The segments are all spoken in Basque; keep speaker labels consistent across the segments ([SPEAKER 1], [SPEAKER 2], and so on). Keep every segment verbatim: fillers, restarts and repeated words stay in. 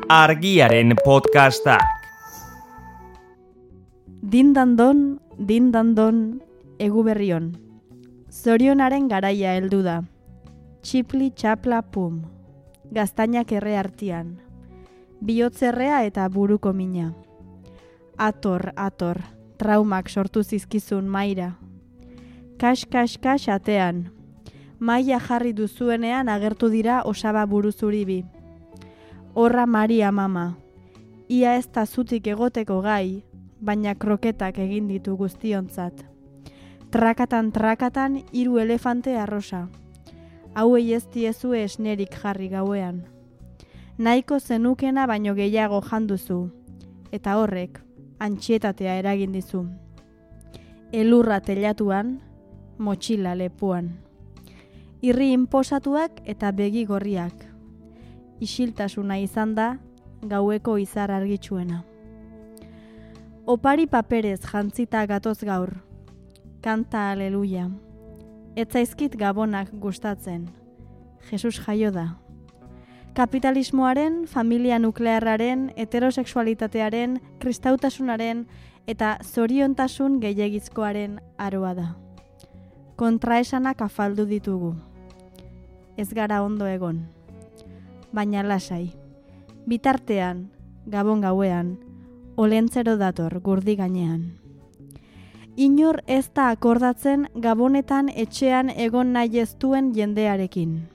[SPEAKER 1] Argiaren podcastak.
[SPEAKER 2] Dindandon, dindandon, egu berrion. Zorionaren garaia heldu da. Txipli txapla pum. Gaztainak erre artian. Bihotzerrea eta buruko mina. Ator, ator, traumak sortu zizkizun maira. Kas, kas, kas atean. Maia jarri duzuenean agertu dira osaba buruzuribi. Horra Maria mama. Ia ez da zutik egoteko gai, baina kroketak egin ditu guztiontzat. Trakatan trakatan hiru elefante arrosa. Hauei ez diezue esnerik jarri gauean. Nahiko zenukena baino gehiago janduzu, eta horrek antxietatea eragin dizu. Elurra telatuan, motxila lepuan. Irri inposatuak eta begi gorriak. Isiltasuna izan da gaueko izar argitsuena. Opari paperez jantzita gatoz gaur. Kanta aleluia. Ez zaizkit gabonak gustatzen. Jesus jaio da. Kapitalismoaren, familia nuklearraren, heterosexualitatearen, kristautasunaren eta zoriontasun gehiegizkoaren aroa da. Kontraesanak afaldu ditugu. Ez gara ondo egon. Baina lasai. Bitartean, gabon gauean, olentzero dator gurdi gainean. Inor ez da akordatzen gabonetan etxean egon nahi ez duen jendearekin.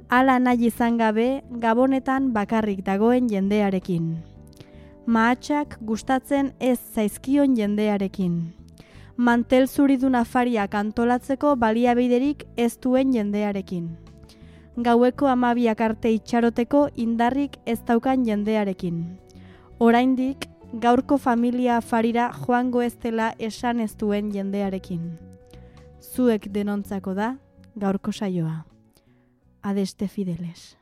[SPEAKER 2] Hala nahi izan gabe gabonetan bakarrik dagoen jendearekin. Mahatsak gustatzen ez zaizkion jendearekin. Mantel zuridun afariak antolatzeko baliabiderik ez duen jendearekin. Gaueko hamabiak arte itxaroteko indarrik ez daukan jendearekin. Oraindik, gaurko familia afarira joango ez dela esan ez duen jendearekin. Zuek denontzako da gaurko saioa. Adeste fideles.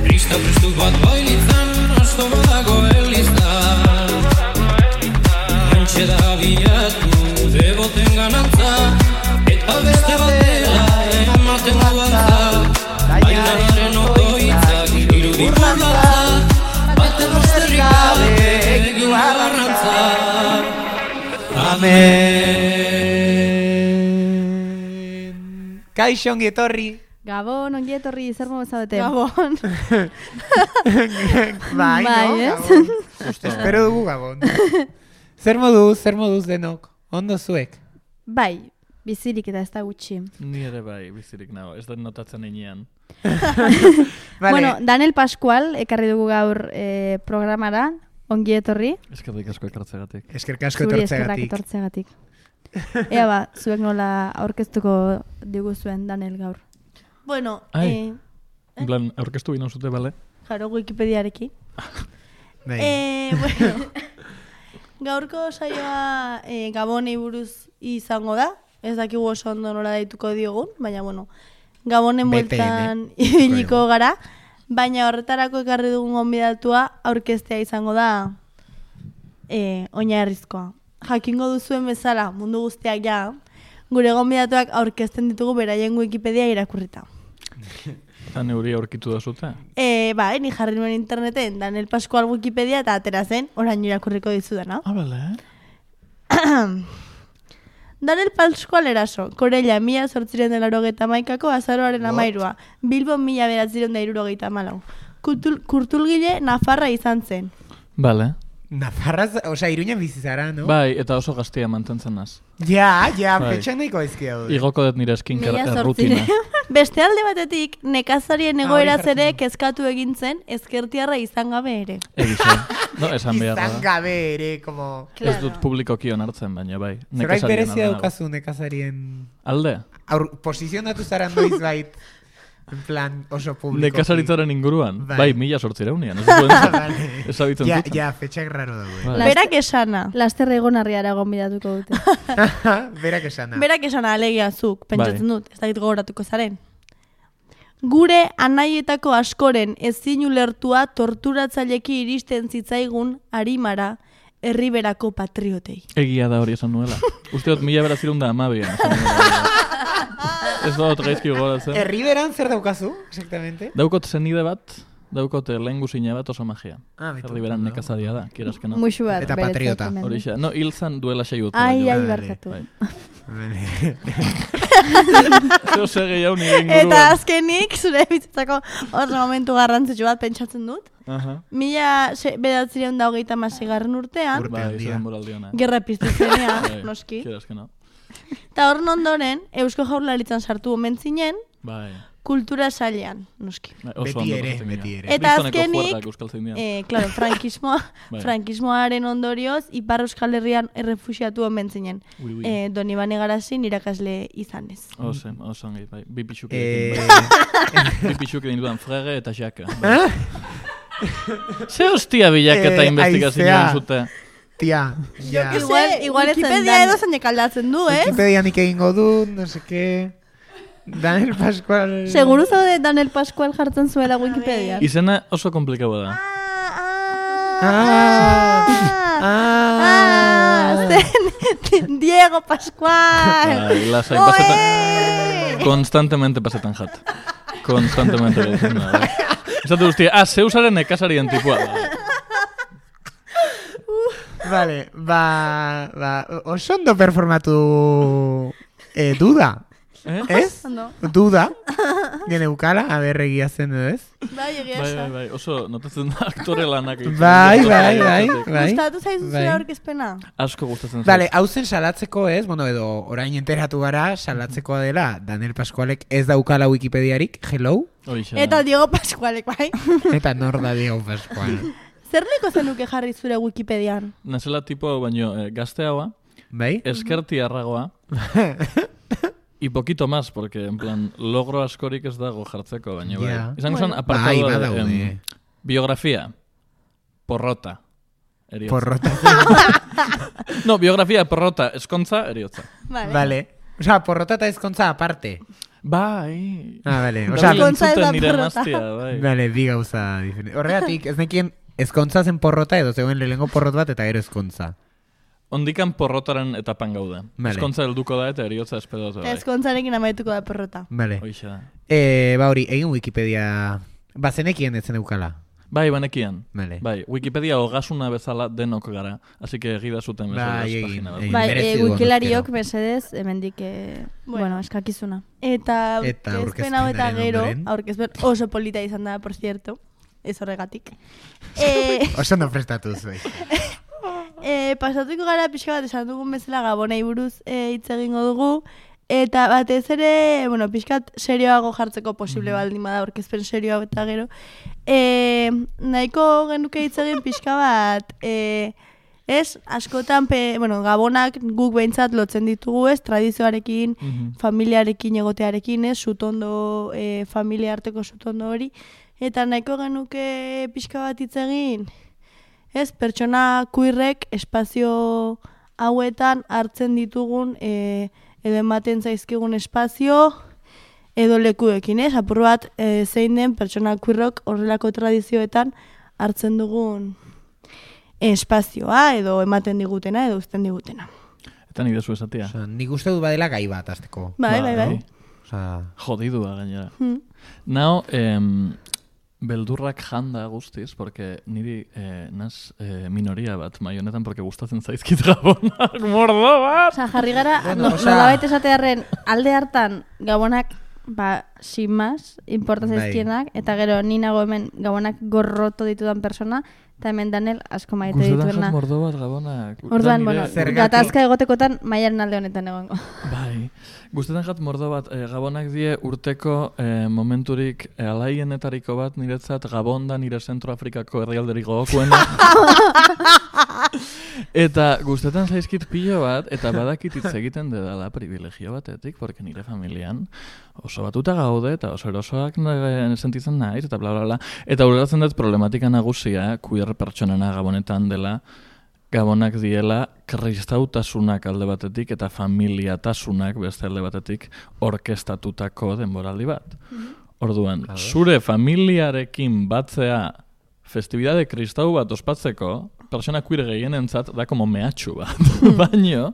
[SPEAKER 3] Krista prestu bat bailitzan, asto badago elizta. Antxe da bilatu, deboten ganantza, eta beste batera ematen duantza. Bailaren otoitzak irudik modatza, baten osterrik gabe egin garrantza.
[SPEAKER 4] Amen. Kaixo ongi etorri.
[SPEAKER 2] Gabon, ongi etorri, zer modu zaudete?
[SPEAKER 5] Gabon.
[SPEAKER 4] Bai,
[SPEAKER 2] Bai,
[SPEAKER 4] no?
[SPEAKER 2] ez?
[SPEAKER 4] Gabon. Espero dugu Gabon. Zer moduz, zer moduz denok? Ondo zuek?
[SPEAKER 2] Bai, bizirik eta ez da gutxi.
[SPEAKER 5] Ni ere bai, bizirik nago, ez da notatzen einean.
[SPEAKER 4] Vale.
[SPEAKER 2] Bueno, Daniel Pascual ekarri dugu gaur eh, programara, ongi etorri.
[SPEAKER 5] Eskerrik asko ekartzegatik.
[SPEAKER 4] Eskerrik asko
[SPEAKER 2] Zuri eskerrak
[SPEAKER 4] etortzegatik.
[SPEAKER 2] etortzegatik. Ea ba, zuek nola aurkeztuko diguzuen Daniel gaur.
[SPEAKER 5] Bueno,
[SPEAKER 2] Ai.
[SPEAKER 5] eh, en plan, aurkeztu bina zute, bale?
[SPEAKER 2] Jaro, Wikipediarekin.
[SPEAKER 4] Bai.
[SPEAKER 6] Eh, bueno, gaurko saioa eh, Gabonei buruz izango da. Ez dakigu oso ondo nola daituko diogun, baina bueno, Gabonen
[SPEAKER 4] B P M.
[SPEAKER 6] bueltan ibiliko gara. Baina horretarako ekarri dugun gonbidatua aurkeztea izango da eh, Oinarrizkoa. Jakingo duzuen bezala, mundu guztiak ja, gure gonbidatuak aurkezten ditugu beraien Wikipedia irakurrita.
[SPEAKER 5] Eta neuri aurkitu da zute?
[SPEAKER 6] E, ba, ni jarri nuen interneten Daniel Pascual Wikipedia eta atera zen, orain irakurriko dizudana.
[SPEAKER 5] Ah, bale.
[SPEAKER 6] Daniel Pascual eraso, Korella mila zortziren dela hogeita maikako azaroaren amairua, Bilbo mila beratziren da irurogeita malau. Kurtul, kurtulgile Nafarra izan zen.
[SPEAKER 5] Bale.
[SPEAKER 4] Nafarraz, osea, Iruñan bizi zara, no?
[SPEAKER 5] Bai, eta oso gaztia mantentzen naz.
[SPEAKER 4] Ja, ja,
[SPEAKER 5] Bai.
[SPEAKER 4] petxan nahiko ezkia dut.
[SPEAKER 5] Igoko dut nire skincare
[SPEAKER 6] Mila
[SPEAKER 5] rutina.
[SPEAKER 6] Beste alde batetik, nekazarien
[SPEAKER 4] Ah,
[SPEAKER 6] egoeraz
[SPEAKER 4] hori
[SPEAKER 6] ere
[SPEAKER 4] jartzen.
[SPEAKER 6] kezkatu egin zen ezkertiarra izan gabe ere.
[SPEAKER 5] Egize. No, esan beharra
[SPEAKER 4] Izan
[SPEAKER 5] da.
[SPEAKER 4] gabe ere, como...
[SPEAKER 5] Ez dut publikoki onartzen, baina bai.
[SPEAKER 4] Zerbait
[SPEAKER 5] nekazarien
[SPEAKER 4] berezia
[SPEAKER 5] alde nago.
[SPEAKER 4] daukazu nekazarien...
[SPEAKER 5] Alde?
[SPEAKER 4] Aur, posizionatu zara noiz bait. En plan, oso publiko.
[SPEAKER 5] Nekazaritzaren inguruan.
[SPEAKER 4] Bai.
[SPEAKER 5] Bai, mila sortzireunian. Ez duen ezabitzen
[SPEAKER 4] Ja,
[SPEAKER 5] zuten.
[SPEAKER 4] ja, fetxak raro daude.
[SPEAKER 5] Bai.
[SPEAKER 6] Berak esana.
[SPEAKER 2] Laster egon harriara gonbidatuko dute.
[SPEAKER 4] Berak esana.
[SPEAKER 6] Berak esana alegia zuk, pentsatzen
[SPEAKER 5] Bai.
[SPEAKER 6] dut, ez dakit gogoratuko zaren. Gure anaietako askoren ezin ulertua torturatzaileki iristen zitzaigun arimara herriberako patriotei.
[SPEAKER 5] Egia da hori esan nuela. Uste dut mila berazirun da amabian. Ez da dut gaizki gogoratzen.
[SPEAKER 4] Herriberan zer daukazu, exactamente?
[SPEAKER 5] Daukot zenide bat, daukot lehen guzina bat oso magia.
[SPEAKER 4] Ah, betu.
[SPEAKER 5] Herriberan nekazaria da, kierazke no.
[SPEAKER 2] Muxu bat.
[SPEAKER 4] Eta
[SPEAKER 2] beretzat
[SPEAKER 4] patriota.
[SPEAKER 2] hemen.
[SPEAKER 5] Horixe, no, hil zan duela sei urte.
[SPEAKER 2] Ai, ai,
[SPEAKER 4] Vale.
[SPEAKER 2] barkatu.
[SPEAKER 5] Bai.
[SPEAKER 4] Vale.
[SPEAKER 5] Zeo sege jau nire inguruan.
[SPEAKER 6] Eta azkenik, zure bizitzako oso momentu garrantzitsu bat pentsatzen dut.
[SPEAKER 5] Aha.
[SPEAKER 6] Mila bederatzireun da hogeita masigarren urtean,
[SPEAKER 4] Urte
[SPEAKER 5] Bai,
[SPEAKER 4] handia.
[SPEAKER 5] izan moraldiona.
[SPEAKER 6] gerra piztu zenean,
[SPEAKER 5] Bai,
[SPEAKER 6] noski.
[SPEAKER 5] kierazke no.
[SPEAKER 6] Eta horren ondoren, Eusko Jaurlaritzan sartu omen zinen,
[SPEAKER 5] Bai.
[SPEAKER 6] kultura sailean, noski.
[SPEAKER 5] Bai, oso
[SPEAKER 4] Beti
[SPEAKER 5] ondo
[SPEAKER 4] ere,
[SPEAKER 5] pasatzen
[SPEAKER 4] beti
[SPEAKER 5] dira.
[SPEAKER 4] ere.
[SPEAKER 6] Eta
[SPEAKER 5] Kristoneko
[SPEAKER 6] azkenik,
[SPEAKER 5] juergak euskaltzaindian.
[SPEAKER 6] Eh, claro, frankismoa,
[SPEAKER 5] Bai.
[SPEAKER 6] frankismoaren ondorioz, Ipar Euskal Herrian errefuxiatu omen zinen.
[SPEAKER 5] Ui, ui.
[SPEAKER 6] Eh, Donibane Garazin irakasle izanez.
[SPEAKER 5] Oso, oso ongi, bai. Bi pixuk
[SPEAKER 4] Eh,
[SPEAKER 5] egin bai. Bi pixuk egin dudan frege eta xaka. Bai. Ze hostia bilaketa
[SPEAKER 4] Eh,
[SPEAKER 5] investigazioa
[SPEAKER 4] haizea.
[SPEAKER 5] zute.
[SPEAKER 4] Tia, ja.
[SPEAKER 6] Que igual, igual Wikipedia edo zeinek aldatzen du, eh?
[SPEAKER 4] Wikipedia nik egingo dut, no sé qué. Daniel Pascual...
[SPEAKER 2] Seguru zaude Daniel Pascual jartzen zuela Wikipedian.
[SPEAKER 5] Izena oso komplikaua da.
[SPEAKER 4] Ah,
[SPEAKER 6] Ah,
[SPEAKER 4] ah,
[SPEAKER 6] zen Diego Pascual.
[SPEAKER 5] Bai, lasai,
[SPEAKER 6] Oe!
[SPEAKER 5] pasetan... Konstantemente pasetan jat. Konstantemente gaitzen da, bai. Esatu guztia, ah, zeusaren nekazarien tipua. Bai.
[SPEAKER 4] Vale, ba, ba, oso ondo performatu eh, duda,
[SPEAKER 5] Eh?
[SPEAKER 4] ez?
[SPEAKER 6] Ondo.
[SPEAKER 4] Duda, geneukala, aber egia zen edo ez?
[SPEAKER 6] Bai, egia
[SPEAKER 5] Bai, bai,
[SPEAKER 6] esan.
[SPEAKER 5] bai, oso notatzen da aktore lanak. egiten
[SPEAKER 4] Bai,
[SPEAKER 5] dira.
[SPEAKER 4] bai, bai, bai.
[SPEAKER 6] Gustatu zaizu zure
[SPEAKER 4] Bai.
[SPEAKER 6] aurkezpena?
[SPEAKER 5] Asko gustatzen
[SPEAKER 4] Vale,
[SPEAKER 5] zait.
[SPEAKER 4] hau zen salatzeko ez, bueno, edo orain enteratu gara, salatzekoa dela, Daniel Pascualek ez daukala Wikipediarik, hello,
[SPEAKER 5] Horixe da.
[SPEAKER 6] Eta Diego Pascualek, bai?
[SPEAKER 4] eta nor da Diego Pascual.
[SPEAKER 6] Zer liko zenuke jarri zure Wikipedian?
[SPEAKER 5] Nazela tipo, baino, eh, gazteagoa,
[SPEAKER 4] Bai?
[SPEAKER 5] eskertiarragoa, y poquito más, porque, en plan, logro askorik ez dago jartzeko, baina bai.
[SPEAKER 4] Ja.
[SPEAKER 5] Izan
[SPEAKER 6] Bueno.
[SPEAKER 5] zen apartado
[SPEAKER 4] Bai,
[SPEAKER 5] de,
[SPEAKER 4] badaude.
[SPEAKER 5] em, biografia, porrota, eriotza.
[SPEAKER 4] Porrota.
[SPEAKER 5] No, biografia, porrota, eskontza, eriotza.
[SPEAKER 6] Vale.
[SPEAKER 4] Vale. O sea, porrota eta ezkontza aparte.
[SPEAKER 5] Bai.
[SPEAKER 4] Ah, vale. O
[SPEAKER 5] O
[SPEAKER 4] sea,
[SPEAKER 5] sea,
[SPEAKER 6] Eskontza ez da
[SPEAKER 5] nire
[SPEAKER 6] porrota.
[SPEAKER 5] emaztia, bai.
[SPEAKER 4] vale, bi gauza diferente. Horregatik, ez nekien ezkontza zen porrota edo zegoen lehengo porrot bat eta gero ezkontza.
[SPEAKER 5] Ondikan porrotaren etapan gauda.
[SPEAKER 4] Vale.
[SPEAKER 5] Eskontza helduko da eta eriotza espedatu bai.
[SPEAKER 6] Ezkontzarekin amaituko da perrota.
[SPEAKER 4] Vale.
[SPEAKER 5] Hoixe da.
[SPEAKER 4] Eh, ba hori, egin Wikipedia... Ba, zenekien ez zen eukala.
[SPEAKER 5] Bai, banekian.
[SPEAKER 4] Vale.
[SPEAKER 5] Bai, Wikipedia hogasuna bezala denok gara. Así que egida zuten bezala.
[SPEAKER 4] Bai,
[SPEAKER 5] ez
[SPEAKER 4] egin,
[SPEAKER 5] pagina bat.
[SPEAKER 4] egin.
[SPEAKER 2] Bai,
[SPEAKER 4] merezi
[SPEAKER 2] e,
[SPEAKER 4] du
[SPEAKER 2] wikilariok
[SPEAKER 4] honezkero.
[SPEAKER 2] mesedez, hemendik, eh,
[SPEAKER 6] Bueno.
[SPEAKER 2] bueno, eskakizuna.
[SPEAKER 6] Eta
[SPEAKER 4] Eta
[SPEAKER 6] aurkezpen hau eta
[SPEAKER 4] aurkezpenaren
[SPEAKER 6] gero,
[SPEAKER 4] ondoren.
[SPEAKER 6] aurkezpen oso polita izan da, por cierto, ez horregatik. eh,
[SPEAKER 4] Oso no prestatu zuen.
[SPEAKER 6] eh, pasatuko gara pixka bat esan dugun bezala Gabonei buruz eh, hitz egingo dugu, eta batez ere, bueno, pixkat serioago jartzeko posible baldin bada aurkezpen serioa eta gero, eh, nahiko genuke hitz egin pixka bat, eh, ez, askotan, pe, bueno, Gabonak guk behintzat lotzen ditugu, ez, tradizioarekin,
[SPEAKER 5] Mhm.
[SPEAKER 6] familiarekin egotearekin, ez, sutondo, e, familia arteko sutondo hori, eta nahiko genuke pixka bat hitz egin, ez, pertsona kuirrek espazio hauetan hartzen ditugun, e, edo ematen zaizkigun espazio, edo lekuekin, ez, apur bat e, zein den pertsona kuirrok horrelako tradizioetan hartzen dugun espazioa, edo ematen digutena, edo uzten digutena.
[SPEAKER 5] Eta nire zu esatia.
[SPEAKER 4] Osa, nik uste dut badela gai bat, azteko.
[SPEAKER 6] Bai, bai, bai.
[SPEAKER 4] Osa,
[SPEAKER 5] Jodidua gainera.
[SPEAKER 6] Hmm.
[SPEAKER 5] Nao, em, beldurrak janda guztiz, porque niri eh, naz eh, minoria bat mai honetan, porque gustatzen zaizkit Gabonak, mordo bat!
[SPEAKER 2] Osa, jarri gara,
[SPEAKER 4] Bueno,
[SPEAKER 2] no,
[SPEAKER 4] osea-
[SPEAKER 2] nolabait esatearren alde hartan Gabonak, ba, sin más, importa
[SPEAKER 4] Bai.
[SPEAKER 2] zaizkienak, eta gero ni nago hemen Gabonak gorroto ditudan persona, eta hemen Daniel asko maite
[SPEAKER 5] Gustatzen jat
[SPEAKER 2] dituena.
[SPEAKER 5] mordo bat Gabonak. Da
[SPEAKER 2] Orduan,
[SPEAKER 5] nire-
[SPEAKER 2] bueno,
[SPEAKER 4] Zergatik?
[SPEAKER 2] gatazka egotekotan maiaren alde honetan egongo.
[SPEAKER 5] Bai, gustatzen jat mordo bat, eh, Gabonak die urteko eh, momenturik eh, alaienetariko bat niretzat Gabon da nire Zentroafrikako herrialderik gogokuena. Eta gustetan zaizkit pilo bat, eta badakit hitz egiten dedala privilegio batetik, porque nire familian oso batuta gaude, eta oso erosoak sentitzen naiz, eta bla bla bla. Eta ulertzen dut problematika nagusia, queer pertsonena Gabonetan dela, Gabonak diela kristautasunak alde batetik eta familiatasunak beste alde batetik orkestatutako denboraldi bat. Orduan, zure familiarekin batzea festibidade kristau bat ospatzeko, persona queer gehienentzat da como mehatxu bat. Baino,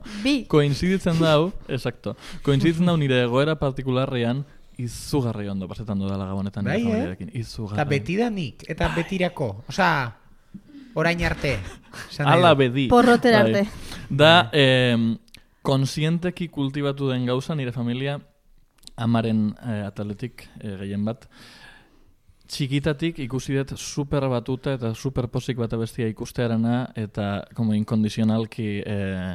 [SPEAKER 5] koinziditzen dau, exacto, koinziditzen dau nire egoera partikularrean izugarri ondo pasetan dudala Gabonetan nire familiarekin. Izugarri.
[SPEAKER 4] Eta betidanik, eta betirako. Osa, orain arte.
[SPEAKER 5] Ala bedi.
[SPEAKER 2] Porrotera arte.
[SPEAKER 5] Da, eh, konsienteki kultibatu den gauza nire familia amaren eh, ataletik eh, gehien bat. Txikitatik ikusi dut super batuta eta super posik bat abestia ikustearena eta como inkondizionalki eh,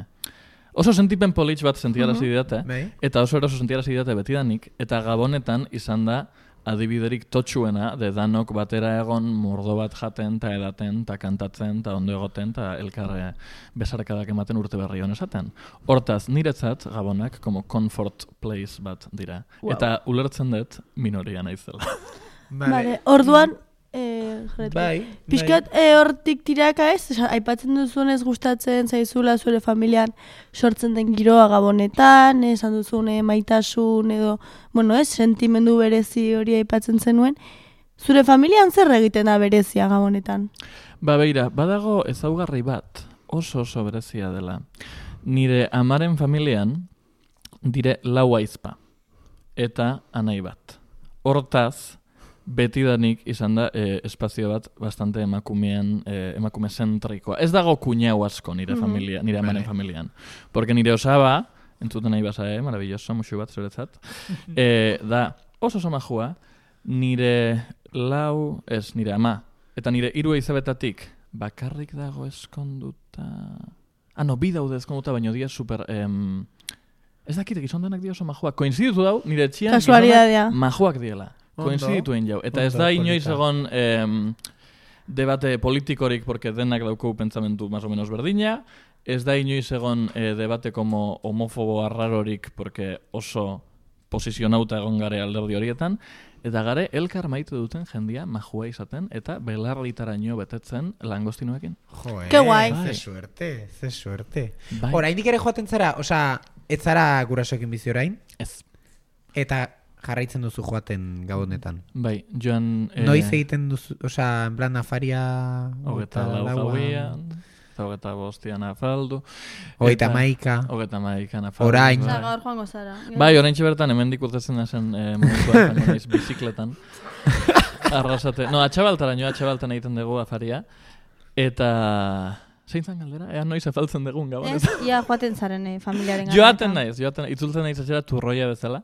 [SPEAKER 5] oso sentipen politx bat sentiarazi didate
[SPEAKER 4] Bai.
[SPEAKER 5] eta oso eroso sentiarazi didate betidanik eta Gabonetan izan da adibiderik totxuena de danok batera egon mordo bat jaten eta edaten eta kantatzen eta ondo egoten eta elkarre besarkadak ematen urte berri honesaten. Hortaz, niretzat Gabonak como comfort place bat dira.
[SPEAKER 2] Wow.
[SPEAKER 5] Eta ulertzen dut minoria naizela.
[SPEAKER 6] Vale, orduan, eh,
[SPEAKER 4] bai,
[SPEAKER 6] pixkat eh, hortik tiraka ez, Osa, aipatzen duzuenez gustatzen zaizula zure familian sortzen den giroa Gabonetan, esan duzune maitasun edo, bueno ez, sentimendu berezi hori aipatzen zenuen. Zure familian zer egiten da berezia Gabonetan?
[SPEAKER 5] Ba beira, badago ezaugarri bat, oso oso berezia dela. Nire amaren familian dire lau aizpa eta anai bat. Hortaz, betidanik izan da eh, espazio bat bastante emakumean, eh, emakume zentrikoa. Ez dago kuñau asko nire familia, nire amaren
[SPEAKER 4] Vale.
[SPEAKER 5] familian. Porque nire osaba, entzuten nahi basa, eh, maravilloso, musu bat zuretzat, eh, da oso oso majua, nire lau, ez, nire ama, eta nire hiru izabetatik bakarrik dago eskonduta... Ah, no, bi daude eskonduta, baino dia super... Em, ez dakit, gizondanak dia oso majuak. Koinziditu dau, nire etxian
[SPEAKER 6] Kasualidadea.
[SPEAKER 5] gizonak majuak diela.
[SPEAKER 4] Ondo.
[SPEAKER 5] Koinzidituen jau. Eta ez
[SPEAKER 4] Ondo,
[SPEAKER 5] da inoiz
[SPEAKER 4] polita.
[SPEAKER 5] egon em, debate politikorik, porque denak dauko pentsamentu más o menos berdina. Ez da inoiz egon eh, debate como homofobo arrarorik, porque oso posizionauta egon gare alderdi horietan. Eta gare, elkar maite duten jendia majua izaten, eta belarritaraino betetzen langostinoekin.
[SPEAKER 4] Joe,
[SPEAKER 6] Ke guai.
[SPEAKER 4] ze suerte, ze suerte.
[SPEAKER 5] Bai.
[SPEAKER 4] Oraindik ere joaten zara, osea, ez zara gurasoekin bizi orain,
[SPEAKER 5] Ez.
[SPEAKER 4] eta jarraitzen duzu joaten Gabonetan.
[SPEAKER 5] Bai, joan... eh,
[SPEAKER 4] Noiz egiten duzu, osea, en plan afaria...
[SPEAKER 5] Hogeta lau
[SPEAKER 4] laua,
[SPEAKER 5] gauian, eta hogeta bostian afaldu.
[SPEAKER 4] Hogeita
[SPEAKER 5] eta-
[SPEAKER 4] hamaika.
[SPEAKER 5] Hogeta maikan afaldu.
[SPEAKER 4] Orain.
[SPEAKER 2] Osa,
[SPEAKER 5] Bai.
[SPEAKER 2] gaur joango zara.
[SPEAKER 5] Bai, orain bertan hemendik urtetzen nazen eh, momentuan joango naiz bizikletan. Arrasate. No, atxabaltaraino, atxabaltan egiten dugu afaria. Eta... Zein zan galdera? Ea noiz afaltzen dugun gabon.
[SPEAKER 2] Ez, ia joaten zaren eh, familiaren gana.
[SPEAKER 5] Joaten naiz, joaten, itzultzen naiz atxera turroia bezala.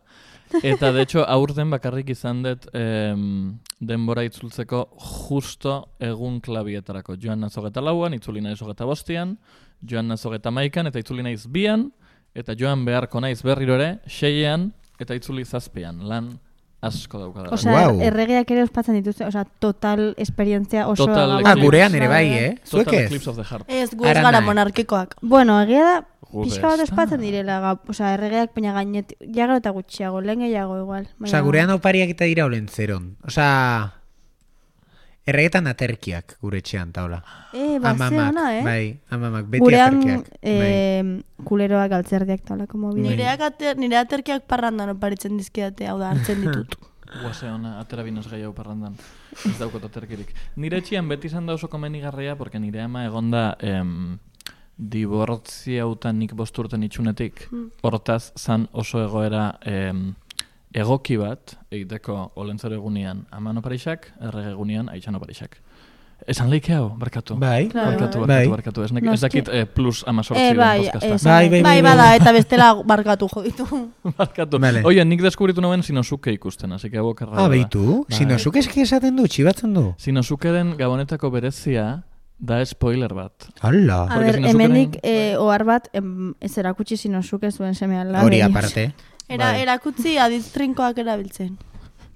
[SPEAKER 5] Eta, de hecho, aurten bakarrik izan dut em, denbora itzultzeko justo egun klabietarako. Joan naiz hogeta lauan, itzuli naiz hogeta bostian, joan naiz hogeta maikan, eta itzuli naiz bian, eta joan beharko naiz berriro ere, seiean, eta itzuli zazpian. Lan asko daukadala.
[SPEAKER 2] Osea,
[SPEAKER 4] Guau.
[SPEAKER 2] er, erregeak ere ospatzen dituzte, osea, total esperientzia oso...
[SPEAKER 5] Total
[SPEAKER 2] Gabon-
[SPEAKER 4] Ah,
[SPEAKER 5] eclipse.
[SPEAKER 4] gurean ere bai, eh? Zuek
[SPEAKER 5] Total
[SPEAKER 4] ez?
[SPEAKER 5] Eclipse of the Heart.
[SPEAKER 6] Ez, gu ez
[SPEAKER 4] Ara
[SPEAKER 6] gara
[SPEAKER 4] nahi.
[SPEAKER 6] monarkikoak.
[SPEAKER 2] Bueno, egia da,
[SPEAKER 5] Gure
[SPEAKER 2] pixka bat
[SPEAKER 5] ez da.
[SPEAKER 2] ospatzen direla, ga- osea, erregeak peina gainet, jagro eta gutxiago, lehen gehiago igual.
[SPEAKER 4] Osea, gurean opariak eta dira olen zeron. Osea, erregetan aterkiak gure etxean taula.
[SPEAKER 2] Eh, bazte ona, eh?
[SPEAKER 4] bai, amamak, beti
[SPEAKER 2] Gurean,
[SPEAKER 4] aterkiak. bai.
[SPEAKER 2] eh, kuleroak altzerdiak taulako mobile.
[SPEAKER 6] Nireak ater, nire aterkiak parrandan oparitzen dizkidate, hau da, hartzen ditut.
[SPEAKER 5] Guase ona, atera binoz gehiago parrandan. Ez daukot aterkirik. Nire etxian beti izan da oso komenigarria, porque nire ama egonda em, dibortziautan nik bosturten itxunetik. Hortaz, zan oso egoera em, egoki bat, egiteko olentzero egunean aman oparixak, errege egunean aitxan oparixak. Esan leike hau, barkatu.
[SPEAKER 4] Bai,
[SPEAKER 2] Claro,
[SPEAKER 5] Barkatu,
[SPEAKER 2] bai.
[SPEAKER 5] barkatu,
[SPEAKER 4] Bai.
[SPEAKER 5] barkatu. Ez, nek,
[SPEAKER 2] No,
[SPEAKER 5] ez dakit eh, plus amazortzi
[SPEAKER 2] Eh,
[SPEAKER 5] den
[SPEAKER 2] bai,
[SPEAKER 5] podcasta.
[SPEAKER 2] esan-
[SPEAKER 4] Bai, bai,
[SPEAKER 6] Bai, bada, eta bestela barkatu jo ditu.
[SPEAKER 5] Barkatu.
[SPEAKER 4] Vale.
[SPEAKER 5] Oie, nik deskubritu noen Sinosuke ikusten, así que hau okerra.
[SPEAKER 4] Ah,
[SPEAKER 5] da.
[SPEAKER 4] behitu?
[SPEAKER 5] Bai.
[SPEAKER 4] Sinozuk eski esaten du, txibatzen du.
[SPEAKER 5] Sinosukeren gabonetako berezia da spoiler bat.
[SPEAKER 4] Hala.
[SPEAKER 2] A
[SPEAKER 5] Porque
[SPEAKER 2] ber,
[SPEAKER 5] Sinosuke
[SPEAKER 2] hemenik
[SPEAKER 5] nen-
[SPEAKER 2] eh, ohar bat em, ez erakutsi Sinosuke zuen semean
[SPEAKER 4] Hori aparte.
[SPEAKER 6] Era,
[SPEAKER 4] Bai.
[SPEAKER 6] erakutzi adiztrinkoak erabiltzen.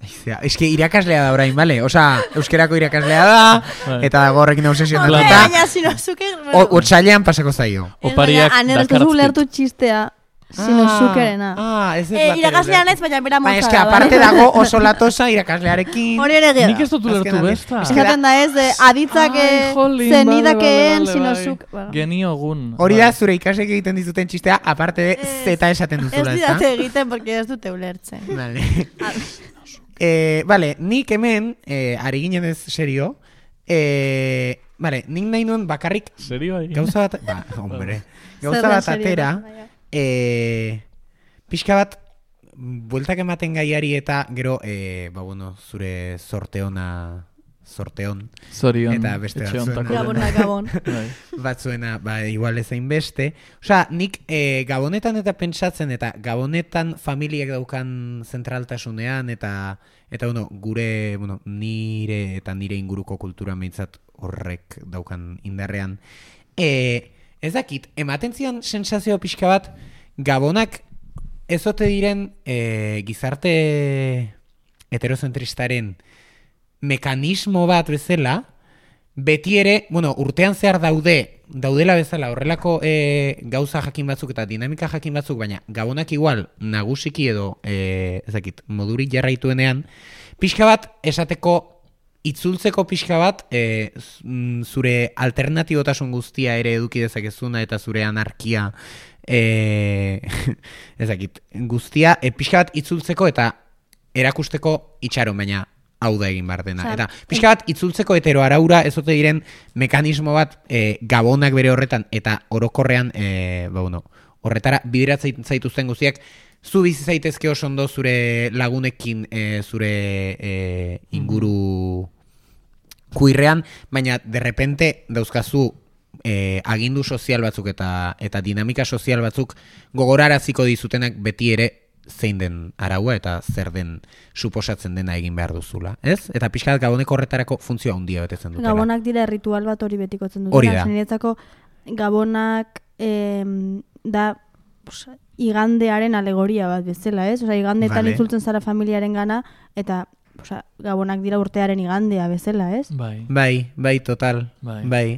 [SPEAKER 4] Aizea, eske irakaslea da orain, bale? Osa, euskerako irakaslea da,
[SPEAKER 5] Bai.
[SPEAKER 4] eta gorrekin obsesionatuta.
[SPEAKER 6] Baina, sinozuke...
[SPEAKER 4] Otsailean pasako zaio.
[SPEAKER 5] Opariak
[SPEAKER 2] Aner, ez duzu
[SPEAKER 5] dakartzkit.
[SPEAKER 2] lertu txistea. Sinozukerena.
[SPEAKER 4] Ah, ez ez
[SPEAKER 6] Eh,
[SPEAKER 4] bat
[SPEAKER 6] irakaslea
[SPEAKER 4] ere
[SPEAKER 6] naiz, baina bera
[SPEAKER 4] Baina
[SPEAKER 6] motza
[SPEAKER 4] eske
[SPEAKER 6] da.
[SPEAKER 4] aparte dago oso latosa irakaslearekin.
[SPEAKER 6] Hori ere gira.
[SPEAKER 5] Nik ez dut ulertu
[SPEAKER 4] Azkenean,
[SPEAKER 5] besta.
[SPEAKER 4] eske
[SPEAKER 2] Eskaten da ez, de, aditzak
[SPEAKER 5] Ai, jolin,
[SPEAKER 2] zenidakeen
[SPEAKER 5] bale, bale,
[SPEAKER 2] sinozuk.
[SPEAKER 5] bai. Geniogun.
[SPEAKER 4] Hori
[SPEAKER 5] bai.
[SPEAKER 4] da zure ikasek egiten dizuten txistea, aparte de
[SPEAKER 6] Ez.
[SPEAKER 4] zeta esaten
[SPEAKER 6] Ez
[SPEAKER 4] duzula, ezta?
[SPEAKER 6] didate egiten, porque ez dute ulertzen.
[SPEAKER 4] Vale. eh, vale, nik hemen, eh, ari ginen ez serio, eh, vale, nik nahi nuen bakarrik
[SPEAKER 5] Serio egin?
[SPEAKER 4] gauza bat, ba, hombre, gauza
[SPEAKER 2] Zer da
[SPEAKER 4] bat
[SPEAKER 2] serio?
[SPEAKER 4] atera, eh, pixka bat, bueltak ematen gaiari eta gero, eh, ba, bueno, zure sorteona, sorteon,
[SPEAKER 5] Zorion.
[SPEAKER 4] Eta beste
[SPEAKER 5] etxe
[SPEAKER 4] batzuena.
[SPEAKER 5] hontako
[SPEAKER 6] Gabona,
[SPEAKER 5] dena.
[SPEAKER 6] gabon.
[SPEAKER 5] Bai.
[SPEAKER 4] batzuena, ba, igual ezain beste. Osea, nik eh, gabonetan eta pentsatzen, eta gabonetan familiak daukan zentraltasunean, eta, eta bueno, gure, bueno, nire eta nire inguruko kultura meintzat horrek daukan indarrean. E, ez dakit, ematen zian sensazio pixka bat, gabonak ezote diren e, gizarte heterozentristaren mekanismo bat bezala, beti ere, bueno, urtean zehar daude, daudela bezala horrelako e, gauza jakin batzuk eta dinamika jakin batzuk, baina gabonak igual nagusiki edo, e, ez dakit, modurik jarraituenean, pixka bat esateko, itzultzeko pixka bat, e, zure alternatibotasun guztia ere eduki dezakezuna eta zure anarkia, e, ez dakit, guztia, e, pixka bat itzultzeko eta erakusteko itxaron, baina hau da egin behar dena.
[SPEAKER 2] Osea,
[SPEAKER 4] Eta pixka bat itzultzeko hetero araura ez ote diren mekanismo bat e, gabonak bere horretan eta orokorrean e, ba, bueno, horretara bideratzen zaituzten guztiak zu bizi zaitezke oso ondo zure lagunekin e, zure e, inguru kuirrean, baina derrepente dauzkazu e, agindu sozial batzuk eta eta dinamika sozial batzuk gogoraraziko dizutenak beti ere zein den araua eta zer den suposatzen dena egin behar duzula, ez? Eta pixkat gaboneko horretarako funtzioa handia betetzen dutela.
[SPEAKER 2] Gabonak dira ritual bat hori betikotzen dutela.
[SPEAKER 4] Hori da.
[SPEAKER 2] Niretzako gabonak em, da pues, igandearen alegoria bat bezala, ez? Osea, igandetan
[SPEAKER 4] Vale.
[SPEAKER 2] itzultzen zara familiaren gana, eta osea, gabonak dira urtearen igandea bezala, ez?
[SPEAKER 5] Bai.
[SPEAKER 4] Bai, bai, total.
[SPEAKER 5] Bai.
[SPEAKER 4] Bai.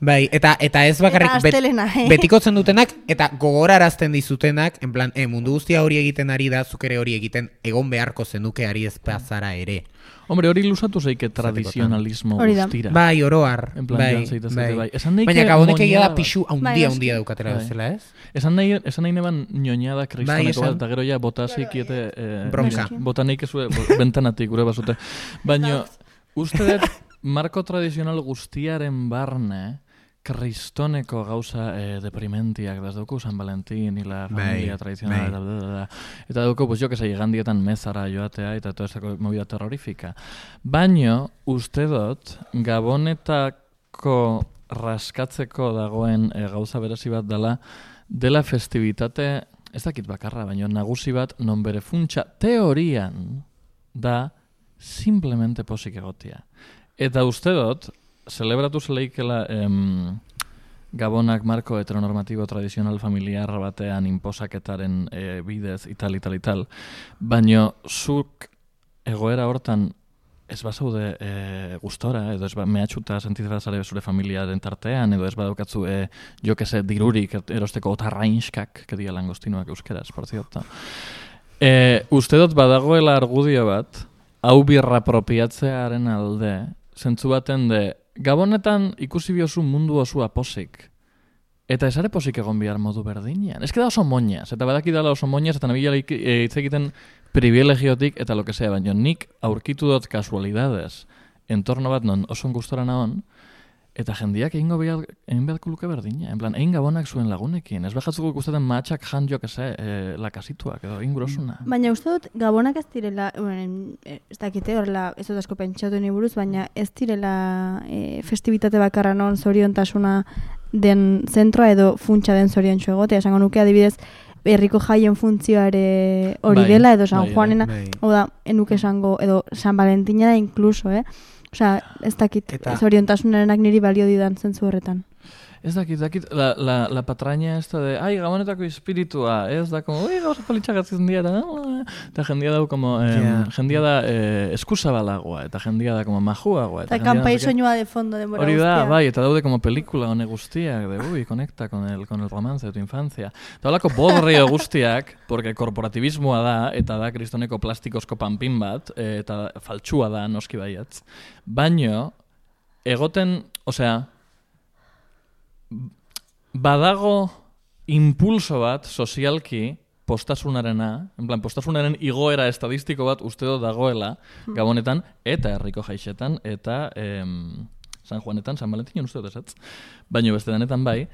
[SPEAKER 4] Bai, eta eta ez bakarrik
[SPEAKER 6] Eta astelena, eh?
[SPEAKER 4] betikotzen dutenak eta gogorarazten dizutenak, en plan, eh, mundu guztia hori egiten ari da, zuk ere hori egiten egon beharko zenuke ari ez pazara ere.
[SPEAKER 5] Hombre, hori lusatu zeike tradizionalismo
[SPEAKER 2] Hori da.
[SPEAKER 5] guztira.
[SPEAKER 4] Bai, oroar.
[SPEAKER 5] En plan,
[SPEAKER 4] bai,
[SPEAKER 5] jan zaitez
[SPEAKER 4] bai.
[SPEAKER 5] zaite, bai. Esan nahi
[SPEAKER 4] Baina
[SPEAKER 5] que
[SPEAKER 4] gabonek egia da
[SPEAKER 5] moñada-
[SPEAKER 4] pixu
[SPEAKER 2] Bai,
[SPEAKER 4] handia
[SPEAKER 2] noski.
[SPEAKER 4] handia daukatela
[SPEAKER 5] Bai.
[SPEAKER 4] bezala, ez?
[SPEAKER 5] Esan nahi, esan nahi neban ñoñada kristoneko
[SPEAKER 4] Bai, esan.
[SPEAKER 5] bat, eta gero ja botasik iete... Eh,
[SPEAKER 4] Bronka.
[SPEAKER 5] nire, Botanik ezue, bo, bentanatik gure basute. Baina, uste dut, marko tradizional guztiaren barne, kristoneko gauza eh, deprimentiak, das dugu San Valentin, y la familia
[SPEAKER 4] Bai,
[SPEAKER 5] tradicional,
[SPEAKER 4] bai.
[SPEAKER 5] eta, da, da, da. eta dugu, pues, jo que sei, igandietan mezara joatea, eta toda esa movida terrorifika. Baina, uste dut, gabonetako raskatzeko dagoen e, gauza berezi bat dela, dela festibitate, ez dakit bakarra, baina nagusi bat, non bere funtsa teorian da simplemente posik egotia. Eta uste dut, celebratu zeleikela em, gabonak marko heteronormatibo tradizional familiar batean inposaketaren e, bidez, ital, ital, ital, baina zuk egoera hortan ez bazaude e, gustora, edo ez ba, mehatxuta sentitzen zare zure familiaren tartean, edo ez badaukatzu, e, jo que se, dirurik erosteko otarrainskak, que dia langostinoak euskeraz, por cierto. E, uste dut badagoela argudio bat, hau birra apropiatzearen alde, zentzu baten de, gabonetan ikusi biozu mundu osua posik, eta esare posik egon bihar modu berdinean. Ez da oso moñaz, eta badaki dala oso moñaz, eta nabila e, hitz egiten privilegiotik, eta lo que sea, baina nik aurkitu dut kasualidades, entorno bat non oso gustora naon, eta jendiak egingo behar, egin beharko luke berdina. En plan, egin gabonak zuen lagunekin. Ez behatzuk ikustetan matxak jan jo, kese, e, lakasituak, edo egin grosuna.
[SPEAKER 2] Baina uste dut, gabonak ez direla, bueno, ez dakite horrela, ez dut asko pentsatu ni buruz, baina ez direla e, festibitate bakarra non zoriontasuna den zentroa edo funtsa den zoriontsu egotea. Esango nuke adibidez, herriko jaien funtzioare hori
[SPEAKER 5] Bai,
[SPEAKER 2] dela, edo San
[SPEAKER 5] bai,
[SPEAKER 2] Juanena,
[SPEAKER 4] bai.
[SPEAKER 2] hau da, enuke esango, edo San Valentina da inkluso, eh? Osea, ez dakit,
[SPEAKER 4] Eta-
[SPEAKER 2] zoriontasunarenak niri balio didan zentzu horretan.
[SPEAKER 5] ez dakit, dakit, la, la, la patraña esta de, ai, gabonetako espiritua, ez da, como, oi, gauza politxak atzen diara, eta jendia da, como, eh,
[SPEAKER 4] Yeah.
[SPEAKER 5] jendia da eh, eskuzabalagoa, eta jendia da, como, majuagoa.
[SPEAKER 6] Eta
[SPEAKER 5] jendia da,
[SPEAKER 6] kanpai
[SPEAKER 5] no sé qué.
[SPEAKER 6] soinua de fondo denbora
[SPEAKER 5] Hori da,
[SPEAKER 6] guztia.
[SPEAKER 5] bai, eta daude como pelikula hone guztiak, de, ui, conecta con el, con el romance de tu infancia. Eta holako bodrio guztiak, porque korporativismoa da, eta da kristoneko plastikozko panpin bat, eh, eta faltsua da, noski baiatz. Baino, egoten, osea, badago impulso bat sozialki postasunarena, en plan, postasunaren igoera estadistiko bat uste dut dagoela Gabonetan, eta herriko jaixetan, eta em, San Juanetan, San Valentinon uste dut esatz, baino beste denetan bai,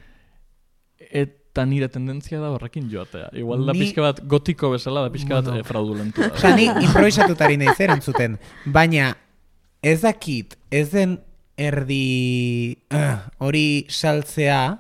[SPEAKER 5] eta nire tendentzia da horrekin joatea. Igual da
[SPEAKER 4] Ni-
[SPEAKER 5] pixka bat gotiko bezala, da pixka bat
[SPEAKER 4] Bueno.
[SPEAKER 5] eh, fraudulentua.
[SPEAKER 4] Osa, ni improvisatutari nahi erantzuten, baina ez dakit, ez den erdi uh, hori saltzea,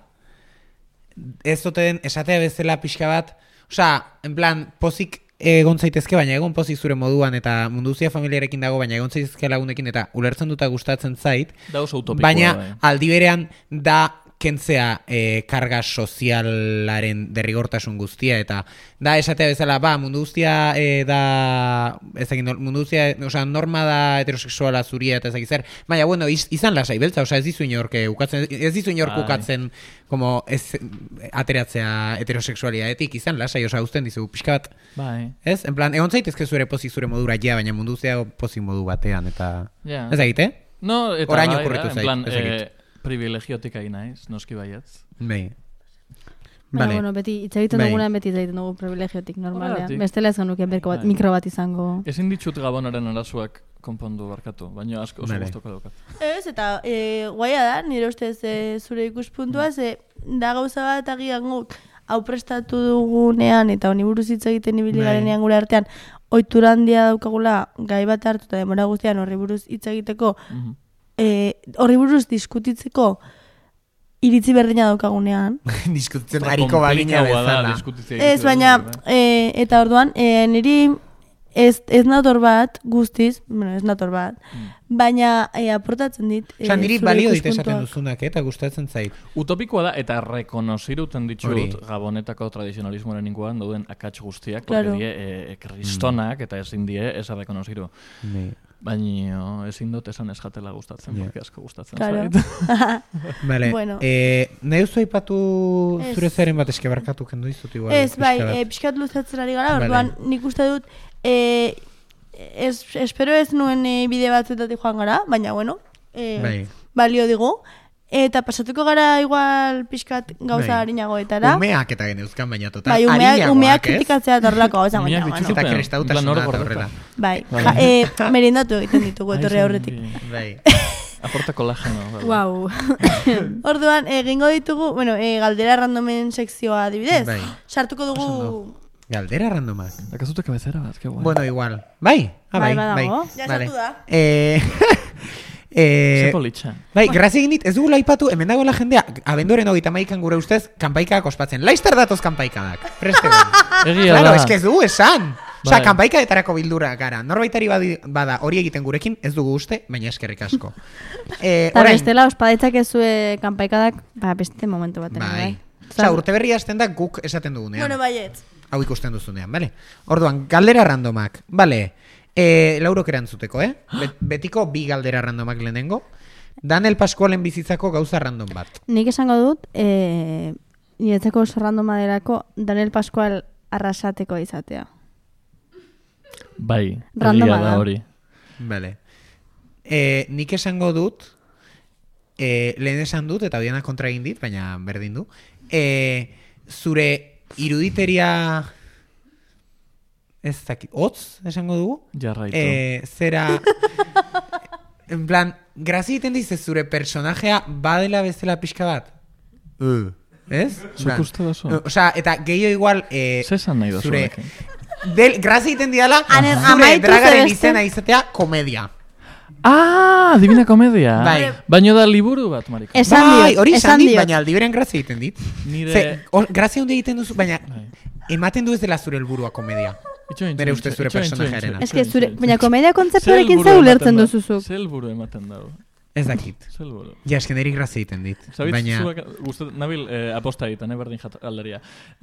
[SPEAKER 4] ez duten esatea bezala pixka bat, osea, en plan, pozik egon zaitezke, baina egon pozik zure moduan, eta munduzia familiarekin dago, baina egon zaitezke lagunekin, eta ulertzen duta gustatzen zait,
[SPEAKER 5] Da oso utopikoa,
[SPEAKER 4] baina
[SPEAKER 5] bai.
[SPEAKER 4] aldi berean da kentzea eh, karga sozialaren derrigortasun guztia, eta da esatea bezala, ba, mundu guztia eh, da, ezagin, mundu guztia, osea, norma da heterosexuala zuria, eta ezagin zer, baina, bueno, iz, izan lasai beltza, osea, ez dizu inork eh, ukatzen, ez dizu inork
[SPEAKER 5] Bai.
[SPEAKER 4] ukatzen, como, ez, ateratzea heterosexualidadetik, izan lasai, osea, uzten dizu, pixka bat,
[SPEAKER 5] Bai.
[SPEAKER 4] ez? En plan, egon zaitezke zure pozik zure modura, ja, baina mundu guztia pozik modu batean, eta,
[SPEAKER 5] Ja.
[SPEAKER 4] ez dakit, eh?
[SPEAKER 5] No, eta
[SPEAKER 4] Orain
[SPEAKER 5] bai,
[SPEAKER 4] okurritu
[SPEAKER 5] da,
[SPEAKER 4] zait,
[SPEAKER 5] en plan,
[SPEAKER 4] ez dakit.
[SPEAKER 5] eh, privilegiotik ari naiz, noski baietz.
[SPEAKER 4] Bai.
[SPEAKER 2] Baina,
[SPEAKER 4] Vale.
[SPEAKER 2] bueno, beti, hitz egiten
[SPEAKER 4] Bai.
[SPEAKER 2] dugunean beti hitz egiten dugu privilegiotik normalean.
[SPEAKER 5] Horregatik.
[SPEAKER 2] Bestela ez genuke berko bat,
[SPEAKER 5] Bai.
[SPEAKER 2] mikro bat izango.
[SPEAKER 5] Ezin ditut Gabonaren arazoak konpondu barkatu, baina asko oso
[SPEAKER 4] Vale.
[SPEAKER 5] gustoko daukat.
[SPEAKER 6] Ez, eta e, guaia da, nire ustez e, zure ikuspuntua, ze da gauza bat agian guk hau prestatu dugunean eta honi buruz hitz egiten ibili
[SPEAKER 4] Bai.
[SPEAKER 6] garenean gure artean ohitura handia daukagula gai bat hartu eta denbora guztian horri buruz hitz egiteko,
[SPEAKER 5] Mhm.
[SPEAKER 6] e, horri buruz diskutitzeko iritzi berdina daukagunean.
[SPEAKER 4] Diskutitzen hariko bagina
[SPEAKER 5] Komplikaua da,
[SPEAKER 4] bezala.
[SPEAKER 5] diskutitzea
[SPEAKER 6] Ez,
[SPEAKER 5] iritsi
[SPEAKER 6] baina,
[SPEAKER 5] behar,
[SPEAKER 6] e, eta orduan, e, niri ez, ez nator bat, guztiz, bueno, ez nator bat, baina e, aportatzen dit. e,
[SPEAKER 4] Osa, niri
[SPEAKER 6] zure
[SPEAKER 4] balio dit esaten
[SPEAKER 6] ikuspuntuak.
[SPEAKER 4] duzunak, eh, eta gustatzen zait.
[SPEAKER 5] Utopikoa da, eta rekonoziruten ditut
[SPEAKER 4] Hori.
[SPEAKER 5] Gabonetako tradizionalismoaren inguruan dauden akats guztiak,
[SPEAKER 6] Claro.
[SPEAKER 5] porque die e, e, kristonak, eta ezin die ez rekonoziru.
[SPEAKER 4] Bai.
[SPEAKER 5] Baina ezin dut esan ez jatela gustatzen,
[SPEAKER 4] Ja.
[SPEAKER 5] porque asko gustatzen
[SPEAKER 6] Claro.
[SPEAKER 5] zait.
[SPEAKER 4] Vale,
[SPEAKER 6] Bueno.
[SPEAKER 4] eh, nahi duzu aipatu
[SPEAKER 6] Ez.
[SPEAKER 4] zure zeren bat eske barkatu kendu dizut igual.
[SPEAKER 6] Ez, bai,
[SPEAKER 4] pixka bat.
[SPEAKER 6] e, pixkat luzatzen ari gara,
[SPEAKER 4] Vale.
[SPEAKER 6] orduan nik uste dut, e, ez, espero ez nuen e, bide batzuetatik joan gara, baina bueno, e,
[SPEAKER 4] Bai.
[SPEAKER 6] balio digu. Eta pasatuko gara igual pixkat gauza
[SPEAKER 4] Bai.
[SPEAKER 6] harinagoetara.
[SPEAKER 4] Umeak eta geneuzkan baina total.
[SPEAKER 6] Bai, umeak,
[SPEAKER 4] arinagoak,
[SPEAKER 6] umeak
[SPEAKER 4] ez?
[SPEAKER 6] kritikatzea eta horrelako gauza,
[SPEAKER 5] Umeak
[SPEAKER 6] baina,
[SPEAKER 5] dituzte.
[SPEAKER 6] bueno.
[SPEAKER 4] Eta kristautasuna
[SPEAKER 5] En plan, hor
[SPEAKER 4] eta
[SPEAKER 5] gordeta.
[SPEAKER 4] horrela.
[SPEAKER 6] Bai,
[SPEAKER 5] Bai.
[SPEAKER 6] ja, e, merendatu egiten ditugu etorri
[SPEAKER 5] Ai,
[SPEAKER 6] aurretik.
[SPEAKER 5] zengi.
[SPEAKER 4] Bai.
[SPEAKER 5] Aporta kolageno. bai.
[SPEAKER 2] Wow.
[SPEAKER 6] Orduan, egingo ditugu, bueno, e, galdera randomen sekzioa adibidez.
[SPEAKER 4] Bai.
[SPEAKER 6] Sartuko
[SPEAKER 4] Oso
[SPEAKER 6] dugu...
[SPEAKER 4] ondo. Galdera randomak.
[SPEAKER 5] Dakazute kabezera bat, que guai.
[SPEAKER 4] Bueno, igual. Bai? Ah, bai,
[SPEAKER 2] Bai,
[SPEAKER 4] bai.
[SPEAKER 2] badago.
[SPEAKER 6] Ja
[SPEAKER 4] Vale.
[SPEAKER 6] sartu da.
[SPEAKER 4] Eh, eh,
[SPEAKER 5] Ze politxa.
[SPEAKER 4] bai, grazia egin dit, ez dugu laipatu, hemen dagoela jendea, abenduaren hogeita maikan gure ustez, kanpaikak ospatzen. Laizter datoz kanpaikadak. Preste egon.
[SPEAKER 5] Egia
[SPEAKER 4] Claro,
[SPEAKER 5] da.
[SPEAKER 4] es que ez dugu esan. Osa,
[SPEAKER 5] Bai.
[SPEAKER 4] kanpaikaetarako bildura gara. Norbaitari badi, bada hori egiten gurekin, ez dugu uste, baina eskerrik asko. Eh,
[SPEAKER 2] Eta
[SPEAKER 4] orain,
[SPEAKER 2] bestela, ospaditzak ezue kanpaikadak, ba, beste momentu baten.
[SPEAKER 4] bai. Osa, urte berri hasten da guk esaten dugunean.
[SPEAKER 6] Bueno, baiet.
[SPEAKER 4] Hau ikusten duzunean, bale? Orduan, galdera randomak, bale? E, laurok erantzuteko, eh? Bet, betiko bi galdera randomak lehenengo. Daniel Pascualen bizitzako gauza random bat.
[SPEAKER 2] Nik esango dut, e, niretzako oso randoma delako Daniel Pascual arrasateko izatea.
[SPEAKER 5] Bai,
[SPEAKER 2] Randoma
[SPEAKER 5] egia da
[SPEAKER 2] da.
[SPEAKER 5] hori.
[SPEAKER 4] Bale. E, nik esango dut, e, lehen esan dut, eta biana kontra egin dit, baina berdin du. E, zure iruditeria... Ez dakit, hotz esango dugu?
[SPEAKER 5] Jarraitu.
[SPEAKER 4] Eh, zera... en plan, grazia egiten dize zure personajea badela bezala pixka bat. Uh. Ez?
[SPEAKER 5] Zuk uste duzu?
[SPEAKER 4] O sea, eta gehiago igual... Eh,
[SPEAKER 5] Ze esan nahi duzu
[SPEAKER 4] zure...
[SPEAKER 5] honekin?
[SPEAKER 4] Del, grazia egiten diala
[SPEAKER 6] Ane-
[SPEAKER 4] zure
[SPEAKER 6] amaitu
[SPEAKER 4] dragaren
[SPEAKER 6] ze beste-
[SPEAKER 4] izena izatea komedia.
[SPEAKER 5] Ah, Divina Komedia.
[SPEAKER 4] Bai.
[SPEAKER 5] Baino da liburu bat, marika.
[SPEAKER 2] Esan
[SPEAKER 4] bai,
[SPEAKER 2] diot,
[SPEAKER 4] hori
[SPEAKER 2] esan
[SPEAKER 4] esan dit,
[SPEAKER 2] diot.
[SPEAKER 4] baina aldi beren grazia egiten dit.
[SPEAKER 5] Nire...
[SPEAKER 4] Ze, or, grazia hundi egiten duzu, baina
[SPEAKER 5] Bai.
[SPEAKER 4] ematen du ez dela zure helburua komedia.
[SPEAKER 5] Itxoin,
[SPEAKER 4] Bere
[SPEAKER 5] itxoin,
[SPEAKER 4] ustez zure
[SPEAKER 5] itxoin,
[SPEAKER 4] personajearena.
[SPEAKER 5] itxoin,
[SPEAKER 2] Ez que
[SPEAKER 5] itxoin,
[SPEAKER 2] zure,
[SPEAKER 5] itxoin.
[SPEAKER 2] baina komedia
[SPEAKER 5] Ze
[SPEAKER 2] kontzeptuarekin
[SPEAKER 5] helburu
[SPEAKER 2] ze
[SPEAKER 5] ematen
[SPEAKER 2] ulertzen
[SPEAKER 5] dau?
[SPEAKER 2] duzuzuk.
[SPEAKER 5] Ze helburu ematen dago.
[SPEAKER 4] Ez dakit.
[SPEAKER 5] Zelburu.
[SPEAKER 4] Ja, esken erik grazia egiten dit.
[SPEAKER 5] Zabitz,
[SPEAKER 4] Baina...
[SPEAKER 5] zuak, gustat, nabil eh, aposta egiten, eh, berdin jat galderia.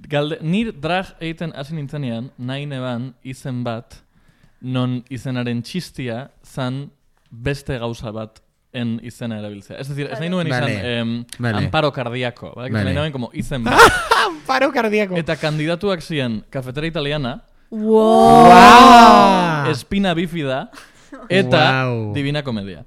[SPEAKER 5] Galde, nir drag egiten hasi nintzenean, nahi neban izen bat, non izenaren txistia zan beste gauza bat en izena erabiltzea. Es decir, ez nahi nuen izan
[SPEAKER 4] Vale.
[SPEAKER 5] em,
[SPEAKER 4] Vale.
[SPEAKER 5] amparo kardiako. Vale?
[SPEAKER 4] Vale.
[SPEAKER 5] Nahi nuen como izen bat.
[SPEAKER 4] Amparo kardiako.
[SPEAKER 5] Eta kandidatuak ziren Cafetera Italiana,
[SPEAKER 6] Wow.
[SPEAKER 4] Wow.
[SPEAKER 5] Espina Bifida, eta
[SPEAKER 4] Wow.
[SPEAKER 5] Divina Komedia.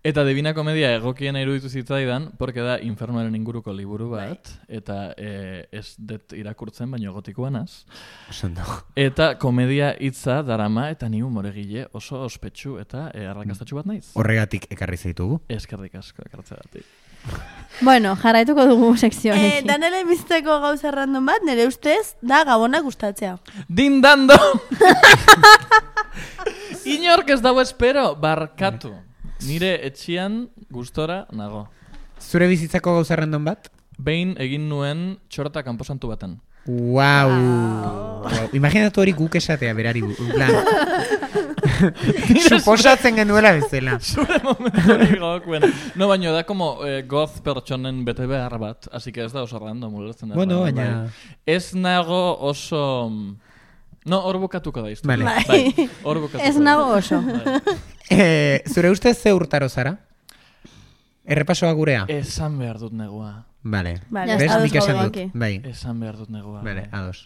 [SPEAKER 5] Eta Divina Komedia egokiena iruditu zitzaidan, porque da Infernoaren inguruko liburu bat, eta eh, ez det irakurtzen, baino gotikoanaz.
[SPEAKER 4] Osondo.
[SPEAKER 5] Eta komedia hitza darama, eta ni humoregile oso ospetsu eta eh, arrakastatsu bat naiz.
[SPEAKER 4] Horregatik ekarri zaitugu.
[SPEAKER 5] Eskerrik asko ekartzeagatik.
[SPEAKER 2] Bueno, jarraituko dugu
[SPEAKER 6] Eh,
[SPEAKER 2] sekzioarekin.
[SPEAKER 6] Danele bizteko gauza random bat, nire ustez, da gabonak gustatzea.
[SPEAKER 5] Dindando! Inork ez dago espero, barkatu. Nire etxian gustora nago.
[SPEAKER 4] Zure bizitzako gauza random bat?
[SPEAKER 5] Behin egin nuen txorta kanposantu baten.
[SPEAKER 4] Wow. wow. Imaginatu hori guk esatea berari. bu- en plan. Suposatzen genuela bezala.
[SPEAKER 5] Zure momentu hori gogokuen. No, baino da como eh, goz pertsonen bete behar bat, así que ez da oso random, ulertzen da.
[SPEAKER 4] Bueno,
[SPEAKER 5] bai.
[SPEAKER 4] baina...
[SPEAKER 5] Ez nago oso... No, hor bukatuko da historia.
[SPEAKER 4] Vale.
[SPEAKER 5] Bai, hor bukatuko
[SPEAKER 2] Ez
[SPEAKER 5] da.
[SPEAKER 2] nago oso.
[SPEAKER 5] Bai.
[SPEAKER 4] Eh, zure ustez ze urtaro zara? Errepasoa gurea?
[SPEAKER 5] Esan behar dut negua.
[SPEAKER 4] Vale.
[SPEAKER 6] Vale,
[SPEAKER 4] Bez,
[SPEAKER 6] ados
[SPEAKER 4] nik esan
[SPEAKER 6] gaude,
[SPEAKER 4] dut.
[SPEAKER 6] ok.
[SPEAKER 4] Bai.
[SPEAKER 5] Esan behar dut negua.
[SPEAKER 4] Vale,
[SPEAKER 5] bai.
[SPEAKER 4] ados.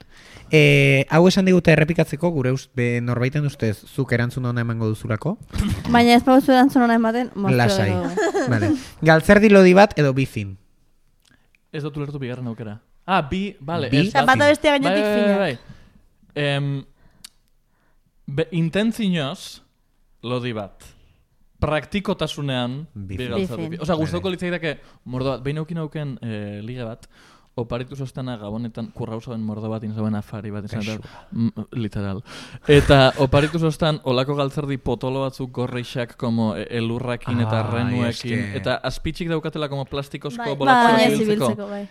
[SPEAKER 4] Eh, hau esan digute errepikatzeko, gure ust, be, norbaiten ustez, zuk erantzun ona emango duzulako?
[SPEAKER 2] Baina ez pauzu erantzun hona ematen, moztu
[SPEAKER 4] Lasai.
[SPEAKER 2] dugu.
[SPEAKER 4] Vale. Galtzerdi lodi bat edo bizin?
[SPEAKER 5] Ez dut ulertu bigarren aukera. Ah, bi, vale.
[SPEAKER 4] Bi?
[SPEAKER 5] ez,
[SPEAKER 6] Eta bata bestea gainetik
[SPEAKER 5] bai, bai,
[SPEAKER 6] fina.
[SPEAKER 5] bai, bai. Em, be, intentzinoz, lodi bat. Praktikotasunean,
[SPEAKER 4] Bi
[SPEAKER 5] bi
[SPEAKER 4] fin.
[SPEAKER 5] gauza
[SPEAKER 2] Bi fin.
[SPEAKER 5] dut. Osa, gustoko
[SPEAKER 4] Vale.
[SPEAKER 5] litzaidake mordo bat. Behin aukin auken eh, liga bat, oparitu zoztana gabonetan kurrauzoen mordo bat inzauen afari bat izan, eta, mm, literal. Eta oparitu zoztan olako galtzerdi potolo batzuk gorreixak como eh, elurrakin eta
[SPEAKER 4] Ai,
[SPEAKER 5] renuekin,
[SPEAKER 4] eske.
[SPEAKER 5] eta azpitzik daukatela como plastikozko
[SPEAKER 6] Bai,
[SPEAKER 5] bolatxoak
[SPEAKER 6] bai,
[SPEAKER 5] ibiltzeko.
[SPEAKER 6] zibiltzeko, bai.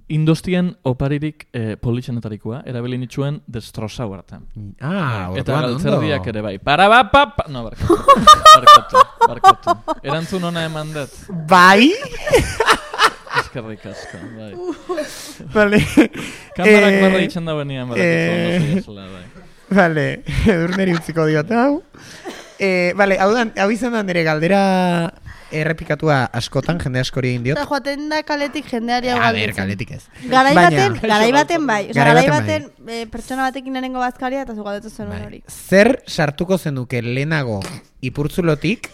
[SPEAKER 5] Industien oparirik eh, politxenetarikoa, erabili nituen destrozau hartan.
[SPEAKER 4] Ah,
[SPEAKER 5] Eta
[SPEAKER 4] orduan ondo.
[SPEAKER 5] galtzerdiak ere bai. Para ba, pa, pa. No, barkatu. barkatu, barkatu. Erantzun ona eman dut.
[SPEAKER 4] Bai?
[SPEAKER 5] Eskerrik asko, bai.
[SPEAKER 4] Vale.
[SPEAKER 5] Kamerak
[SPEAKER 4] Eh,
[SPEAKER 5] barra itxen da benian, barkatu, ondo
[SPEAKER 4] eh,
[SPEAKER 5] zigezela, bai.
[SPEAKER 4] Vale, edurneri utziko diot, hau. Eh, vale, hau, dan, hau izan da nire galdera errepikatua askotan, jende askori egin diot.
[SPEAKER 6] Eta joaten da kaletik jendeari hau
[SPEAKER 4] A ber,
[SPEAKER 6] galdetzen.
[SPEAKER 4] kaletik ez.
[SPEAKER 6] Garai
[SPEAKER 4] Baina-
[SPEAKER 6] baten, garai baten bai. Osa,
[SPEAKER 4] Garai
[SPEAKER 6] garai
[SPEAKER 4] baten
[SPEAKER 6] baten eh, pertsona batekin lehenengo bazkaria eta zu galdetu zenuen
[SPEAKER 4] Bai.
[SPEAKER 6] hori.
[SPEAKER 4] Zer sartuko zenuke lehenago ipurtzulotik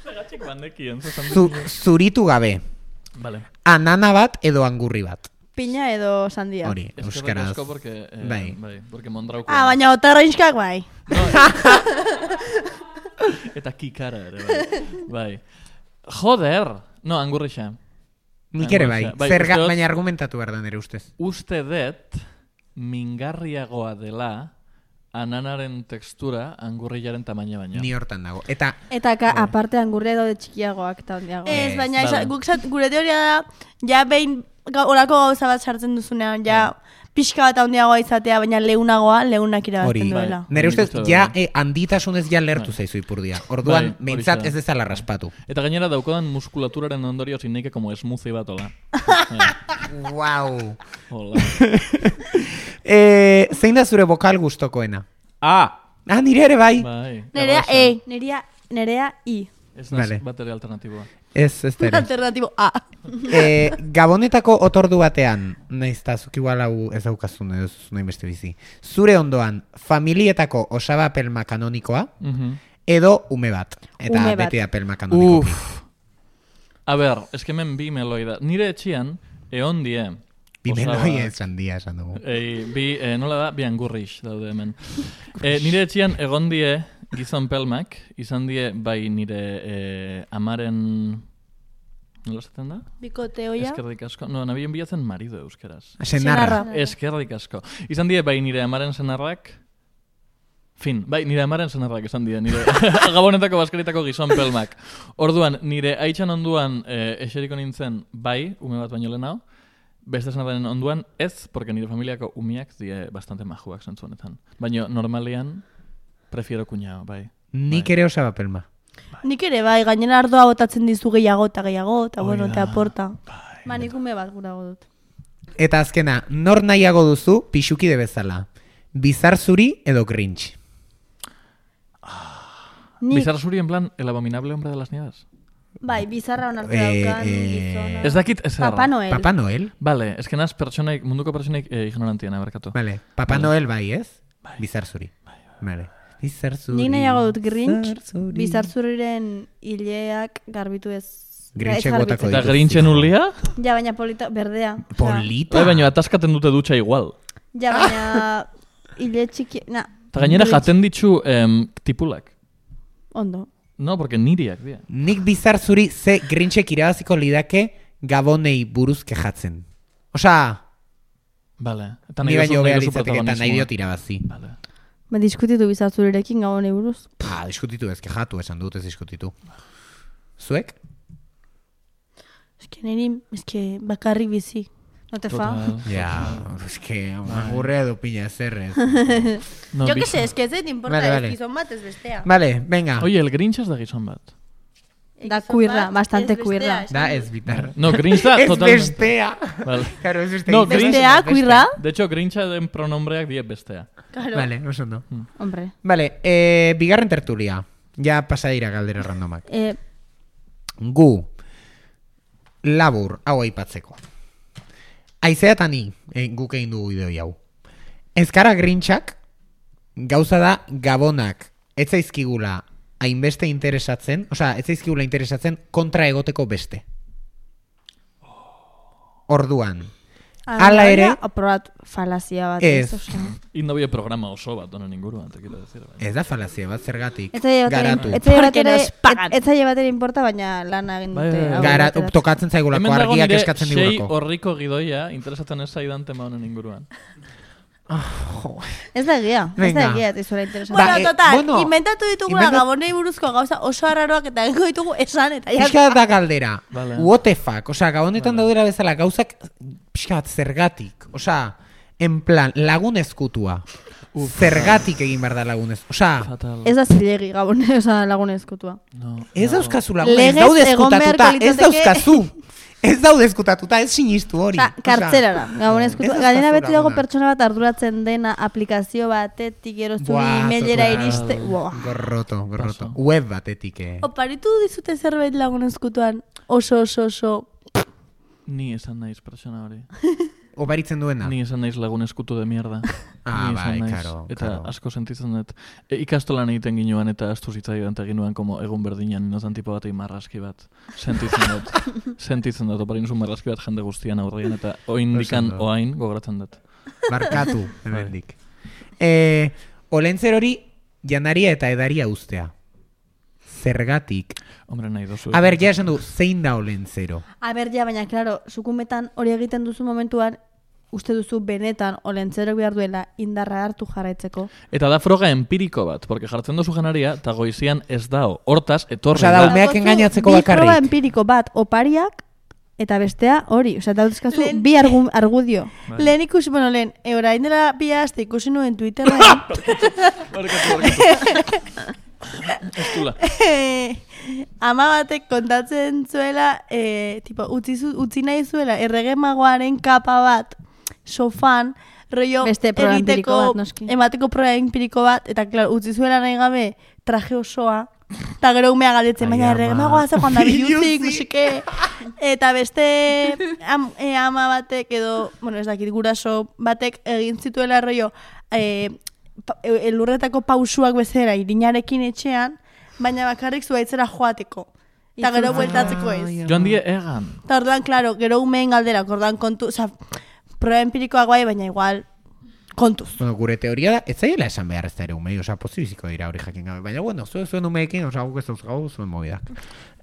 [SPEAKER 5] Segatxik bandekien, zuzan
[SPEAKER 4] zu, zuritu gabe?
[SPEAKER 5] Vale.
[SPEAKER 4] Anana bat edo angurri bat?
[SPEAKER 2] Piña edo sandia.
[SPEAKER 4] Hori,
[SPEAKER 5] Eskerrik
[SPEAKER 4] euskaraz.
[SPEAKER 5] asko porque, eh,
[SPEAKER 4] Bai.
[SPEAKER 5] bai, porque mondrauko.
[SPEAKER 6] Ah, baina otarroinskak bai.
[SPEAKER 5] Eta kikara ere, bai. Bai. Joder! No, angurrixa.
[SPEAKER 4] Nik ere bai,
[SPEAKER 5] Bai,
[SPEAKER 4] Zerga,
[SPEAKER 5] uste dut-
[SPEAKER 4] baina argumentatu behar da nire ustez.
[SPEAKER 5] Uste dut mingarriagoa dela ananaren tekstura angurriaren tamaina baina.
[SPEAKER 4] Ni hortan dago. Eta
[SPEAKER 2] Eta ka, aparte angurria daude txikiagoak eta handiagoak.
[SPEAKER 6] Ez,
[SPEAKER 4] Ez,
[SPEAKER 6] baina
[SPEAKER 5] vale.
[SPEAKER 6] esa- guk zat, gure teoria da, ja behin ga- horako gauza bat sartzen duzunean, ja pixka bat handiagoa izatea, baina leunagoa, leunak
[SPEAKER 4] hori,
[SPEAKER 6] irabazten duela.
[SPEAKER 4] nire
[SPEAKER 5] Nik
[SPEAKER 4] ustez,
[SPEAKER 5] uste dut,
[SPEAKER 4] ja
[SPEAKER 5] bai.
[SPEAKER 4] eh, handitasunez ja lertu
[SPEAKER 5] Bai.
[SPEAKER 4] zaizu ipurdia. Orduan,
[SPEAKER 5] Bai,
[SPEAKER 4] behintzat
[SPEAKER 5] horixe
[SPEAKER 4] ez
[SPEAKER 5] da.
[SPEAKER 4] dezala raspatu.
[SPEAKER 5] Eta gainera daukodan muskulaturaren ondorio zineike como smoothie bat ola.
[SPEAKER 4] Wow.
[SPEAKER 5] Hola.
[SPEAKER 4] eh, zein da zure bokal gustokoena?
[SPEAKER 5] Ah!
[SPEAKER 4] Ah, nire ere bai.
[SPEAKER 5] Bai.
[SPEAKER 6] Nerea
[SPEAKER 5] erraza.
[SPEAKER 6] E,
[SPEAKER 2] Nerea, nerea I.
[SPEAKER 5] Ez naiz
[SPEAKER 4] Vale.
[SPEAKER 5] bat ere alternatiboa.
[SPEAKER 4] Ez, ez da ere.
[SPEAKER 6] alternatibo A.
[SPEAKER 4] eh, Gabonetako otordu batean, nahiz eta zuk igual hau ez daukazun edo ez nahi beste bizi. Zure ondoan, familietako osaba pelma kanonikoa,
[SPEAKER 5] Mhm.
[SPEAKER 4] edo ume bat. Eta
[SPEAKER 2] Ume bat.
[SPEAKER 4] beti da pelma kanonikoki.
[SPEAKER 5] Uf. A ber, eskemen bi meloi da. Nire etxian, egon die.
[SPEAKER 4] Bimeloi esan dia esan dugu.
[SPEAKER 5] Ei, bi, eh, nola da, bi angurrix daude hemen. Eh, nire etxian egon die gizon pelmak, izan die bai nire eh, amaren... Nola esaten da?
[SPEAKER 6] Bikote hoia.
[SPEAKER 5] Eskerrik asko. No, nabien bilatzen marido euskeraz.
[SPEAKER 4] Senarra.
[SPEAKER 5] Eskerrik asko. Izan die bai nire amaren senarrak, fin, bai, nire amaren senarrak esan die, nire gabonetako baskeritako gizon pelmak. Orduan, nire aitxan onduan eh, eseriko nintzen bai, ume bat baino lehenao, beste senarraren onduan ez, porque nire familiako umiak die bastante majuak zentzu honetan. Baina normalian, prefiero kuñao, bai.
[SPEAKER 4] Nik
[SPEAKER 5] Bai.
[SPEAKER 4] ere osaba pelma.
[SPEAKER 6] Nik ere bai, gainera ardoa botatzen dizu gehiago eta gehiago, eta bueno,
[SPEAKER 5] da.
[SPEAKER 6] te aporta.
[SPEAKER 2] Ba, nik ume bat gurago dut.
[SPEAKER 4] Eta azkena, nor nahiago duzu pixukide bezala? Bizar zuri edo Grinch?
[SPEAKER 6] Nik,
[SPEAKER 5] Bizar zuri en plan, el abominable hombre de las nieves.
[SPEAKER 2] Bai, bizarra onartu
[SPEAKER 4] Eh,
[SPEAKER 2] daukan,
[SPEAKER 4] eh,
[SPEAKER 2] gizona.
[SPEAKER 5] Ez dakit ez
[SPEAKER 2] Papa Noel.
[SPEAKER 4] Papa Noel?
[SPEAKER 5] Vale, ez que naz pertsonaik, munduko pertsonaik eh, ignorantiana, berkatu.
[SPEAKER 4] Vale, Papa
[SPEAKER 5] Vale.
[SPEAKER 4] Noel bai, ez? Bizar zuri. Vale. Bizar zuri.
[SPEAKER 2] Nik nahiago dut Grinch,
[SPEAKER 4] bizar zuri.
[SPEAKER 2] bizartzuriren hileak garbitu ez.
[SPEAKER 4] Grinchek
[SPEAKER 2] ez garbitzen.
[SPEAKER 4] botako
[SPEAKER 5] Eta
[SPEAKER 4] dituz.
[SPEAKER 5] Grinchen ulia?
[SPEAKER 2] Ja, baina polita, berdea. Osea,
[SPEAKER 4] Polita?
[SPEAKER 5] Bai, baina ataskaten dute dutxa igual.
[SPEAKER 2] Ja, baina hile txiki... Na,
[SPEAKER 5] Eta gainera
[SPEAKER 2] Grinch.
[SPEAKER 5] jaten ditzu em, tipulak.
[SPEAKER 2] Ondo.
[SPEAKER 5] No, porque niriak, dira.
[SPEAKER 4] Nik bizar zuri ze Grinchek irabaziko lidake Gabonei buruz kejatzen. Osea,
[SPEAKER 5] Vale. Eta
[SPEAKER 4] ni
[SPEAKER 5] nahi
[SPEAKER 4] baino
[SPEAKER 5] duzu-
[SPEAKER 4] behar
[SPEAKER 5] nahi duzu
[SPEAKER 4] litzateke eta nahi
[SPEAKER 5] protagonismoa.
[SPEAKER 4] diot irabazi.
[SPEAKER 5] Vale.
[SPEAKER 2] Ba, diskutitu bizartzurirekin gabonei buruz.
[SPEAKER 4] Pa, diskutitu ez, kejatu esan dut ez diskutitu. Zuek?
[SPEAKER 6] eske niri, eske bakarrik bizi.
[SPEAKER 2] No te fa.
[SPEAKER 5] Total.
[SPEAKER 4] Ja, eske, agurrea edo pina zerrez.
[SPEAKER 5] No,
[SPEAKER 6] Jo que
[SPEAKER 5] biz-
[SPEAKER 6] sé, eske ez zait importa,
[SPEAKER 4] Vale,
[SPEAKER 6] ez
[SPEAKER 4] vale.
[SPEAKER 6] gizon bat ez bestea.
[SPEAKER 4] Vale, venga.
[SPEAKER 5] Oye, el Grinch ez da gizon bat.
[SPEAKER 2] Da
[SPEAKER 6] Gizon
[SPEAKER 2] queerra,
[SPEAKER 6] bat,
[SPEAKER 2] bastante
[SPEAKER 6] ez bestea,
[SPEAKER 2] queerra.
[SPEAKER 6] esan
[SPEAKER 4] Da,
[SPEAKER 6] dut.
[SPEAKER 4] ez bitar.
[SPEAKER 5] No, Grinch da
[SPEAKER 4] Ez
[SPEAKER 5] totalmente.
[SPEAKER 4] bestea.
[SPEAKER 5] Vale.
[SPEAKER 4] Claro, ez bestea.
[SPEAKER 5] No,
[SPEAKER 4] Dices,
[SPEAKER 5] Grinch-
[SPEAKER 6] Bestea,
[SPEAKER 4] bestea.
[SPEAKER 6] queerra.
[SPEAKER 5] De hecho, Grincha den pronombreak die bestea.
[SPEAKER 6] Claro.
[SPEAKER 4] Vale, oso ondo.
[SPEAKER 2] Hombre.
[SPEAKER 4] Vale, eh, bigarren tertulia. Ja pasa dira galdera randomak.
[SPEAKER 2] Eh,
[SPEAKER 4] Gu, labur, hau aipatzeko. Aizea eta ni, eh, guk egin dugu idoi hau. Ezkara Grinchak, gauza da Gabonak, ez zaizkigula hainbeste interesatzen, osea, ez zaizkigula interesatzen kontra egoteko beste. Orduan, hala ere,
[SPEAKER 2] aprobat falazia bat.
[SPEAKER 4] Ez.
[SPEAKER 2] osea.
[SPEAKER 5] Indabie programa oso bat, honen inguruan, te quiero decir. bai.
[SPEAKER 4] ez da falazia bat zergatik.
[SPEAKER 2] Ez zaila
[SPEAKER 4] Garatu.
[SPEAKER 2] batera, ez zaila
[SPEAKER 6] Porque
[SPEAKER 2] batera,
[SPEAKER 6] nos pagan.
[SPEAKER 2] ez zaila batera importa, baina lana egin
[SPEAKER 5] Bai,
[SPEAKER 2] dute.
[SPEAKER 5] bai, bai.
[SPEAKER 2] hau
[SPEAKER 4] Gara,
[SPEAKER 2] ateratzen.
[SPEAKER 4] tokatzen zaigulako,
[SPEAKER 5] Hemen dago
[SPEAKER 4] argiak
[SPEAKER 5] nire
[SPEAKER 4] eskatzen
[SPEAKER 5] sei
[SPEAKER 4] digulako.
[SPEAKER 5] horriko gidoia, interesatzen ez zaidan tema honen inguruan.
[SPEAKER 2] Ez da egia, ez
[SPEAKER 4] Venga.
[SPEAKER 2] da egia, ez izuela interesante.
[SPEAKER 6] Bueno,
[SPEAKER 4] Ba, eh,
[SPEAKER 6] total,
[SPEAKER 4] bueno,
[SPEAKER 6] inventatu ditugula
[SPEAKER 4] inventa-
[SPEAKER 6] gabonei buruzko gauza oso arraroak eta egingo ditugu esan eta ja.
[SPEAKER 4] Pixka bat da galdera.
[SPEAKER 5] Vale.
[SPEAKER 4] What the fuck? Osea, gabonetan
[SPEAKER 5] Vale.
[SPEAKER 4] daudera bezala gauzak pixka bat zergatik. Osea, en plan, lagun ezkutua. Zergatik egin behar da lagunez. Osea,
[SPEAKER 5] Fatal.
[SPEAKER 2] Ez da zilegi gabone, oza, lagunezkotua.
[SPEAKER 5] No,
[SPEAKER 4] ez
[SPEAKER 5] no.
[SPEAKER 4] dauzkazu lagun, ez
[SPEAKER 2] Legez
[SPEAKER 4] daude
[SPEAKER 2] egon beharko
[SPEAKER 4] ezkutatuta, ez
[SPEAKER 2] litzateke-
[SPEAKER 4] dauzkazu. Ez daude ezkutatuta, ez sinistu hori.
[SPEAKER 2] Oza, kartzelara, gabonezkotua.
[SPEAKER 4] ez
[SPEAKER 2] Gainera
[SPEAKER 4] dauzkazu
[SPEAKER 2] beti dago
[SPEAKER 4] laguna.
[SPEAKER 2] pertsona bat arduratzen dena aplikazio batetik eroztu
[SPEAKER 4] Buah,
[SPEAKER 2] emailera
[SPEAKER 4] total.
[SPEAKER 2] iriste. Buah.
[SPEAKER 4] Gorroto, gorroto.
[SPEAKER 5] Paso.
[SPEAKER 4] Web batetik, eh.
[SPEAKER 6] Oparitu dizute zerbait lagun eskutuan oso oso oso.
[SPEAKER 5] Ni esan naiz pertsona hori.
[SPEAKER 4] Oparitzen duena.
[SPEAKER 5] Ni esan naiz lagun eskutu de mierda.
[SPEAKER 4] Ah,
[SPEAKER 5] Ni esan
[SPEAKER 4] bai,
[SPEAKER 5] naiz.
[SPEAKER 4] karo,
[SPEAKER 5] Eta
[SPEAKER 4] karo.
[SPEAKER 5] asko sentitzen dut. E, ikastolan egiten ginuan eta astu zitzaidan eta ginuen como egun berdinan inotan tipo batei marraski bat. Sentitzen dut. Sentitzen dut. Oparin zu marraski bat jende guztian aurrean eta oindikan
[SPEAKER 4] Oso ondo.
[SPEAKER 5] oain gogoratzen dut.
[SPEAKER 4] Barkatu, hemendik. Eh, olentzer hori janaria eta edaria ustea. Zergatik.
[SPEAKER 5] Hombre, nahi dozu.
[SPEAKER 4] A ber, ja esan du, zein da olentzero?
[SPEAKER 2] A ber, ja, baina, klaro, zukumetan hori egiten duzu momentuan, uste duzu benetan olentzerok behar duela indarra hartu jarraitzeko.
[SPEAKER 5] Eta da froga empiriko bat, porque jartzen duzu janaria, eta goizian ez dao. Hortaz, etorri
[SPEAKER 4] Osea, da,
[SPEAKER 5] da.
[SPEAKER 4] umeak
[SPEAKER 2] Dagozu
[SPEAKER 4] engainatzeko
[SPEAKER 2] Bi proba
[SPEAKER 4] bakarrik.
[SPEAKER 2] empiriko bat opariak, eta bestea hori. Osea, dauzkazu
[SPEAKER 6] Lehen-
[SPEAKER 2] bi argu, argudio.
[SPEAKER 5] Bai.
[SPEAKER 6] Lehen ikusi, bueno, lehen, e, orain dela bi aste ikusi nuen Twitterren,
[SPEAKER 5] Barkatu, barkatu. Ez dula.
[SPEAKER 6] ama batek kontatzen zuela, e, tipo, utzi, zu, utzi nahi zuela errege magoaren kapa bat sofan, rollo
[SPEAKER 2] Beste proba empiriko
[SPEAKER 6] egiteko,
[SPEAKER 2] bat, noski.
[SPEAKER 6] emateko proba empiriko bat, eta klar, utzi zuela nahi gabe traje osoa, eta gero umea galdetzen,
[SPEAKER 4] Ai,
[SPEAKER 6] baina errege
[SPEAKER 4] ama.
[SPEAKER 6] magoa ze joan da biluzik,
[SPEAKER 4] Biluzik.
[SPEAKER 6] musike, eta beste am, e, ama batek edo, bueno, ez dakit guraso batek egin zituela rollo, e, pa, e, elurretako pausuak bezera irinarekin etxean, baina bakarrik zuaitzera joateko. Eta gero
[SPEAKER 2] Itzultzeko.
[SPEAKER 6] bueltatzeko ez.
[SPEAKER 5] Joan die egan.
[SPEAKER 6] Eta orduan, klaro, gero umeen galderak, orduan kontu, oza, proba empirikoak bai, baina igual kontuz.
[SPEAKER 4] Bueno, gure teoria da, ez zaiela esan behar ez da ere umei, osea, pozibiziko dira hori jakin gabe. Baina, bueno, zuen zuen umeekin, osea, guk ez dauzkagu zuen mobidak.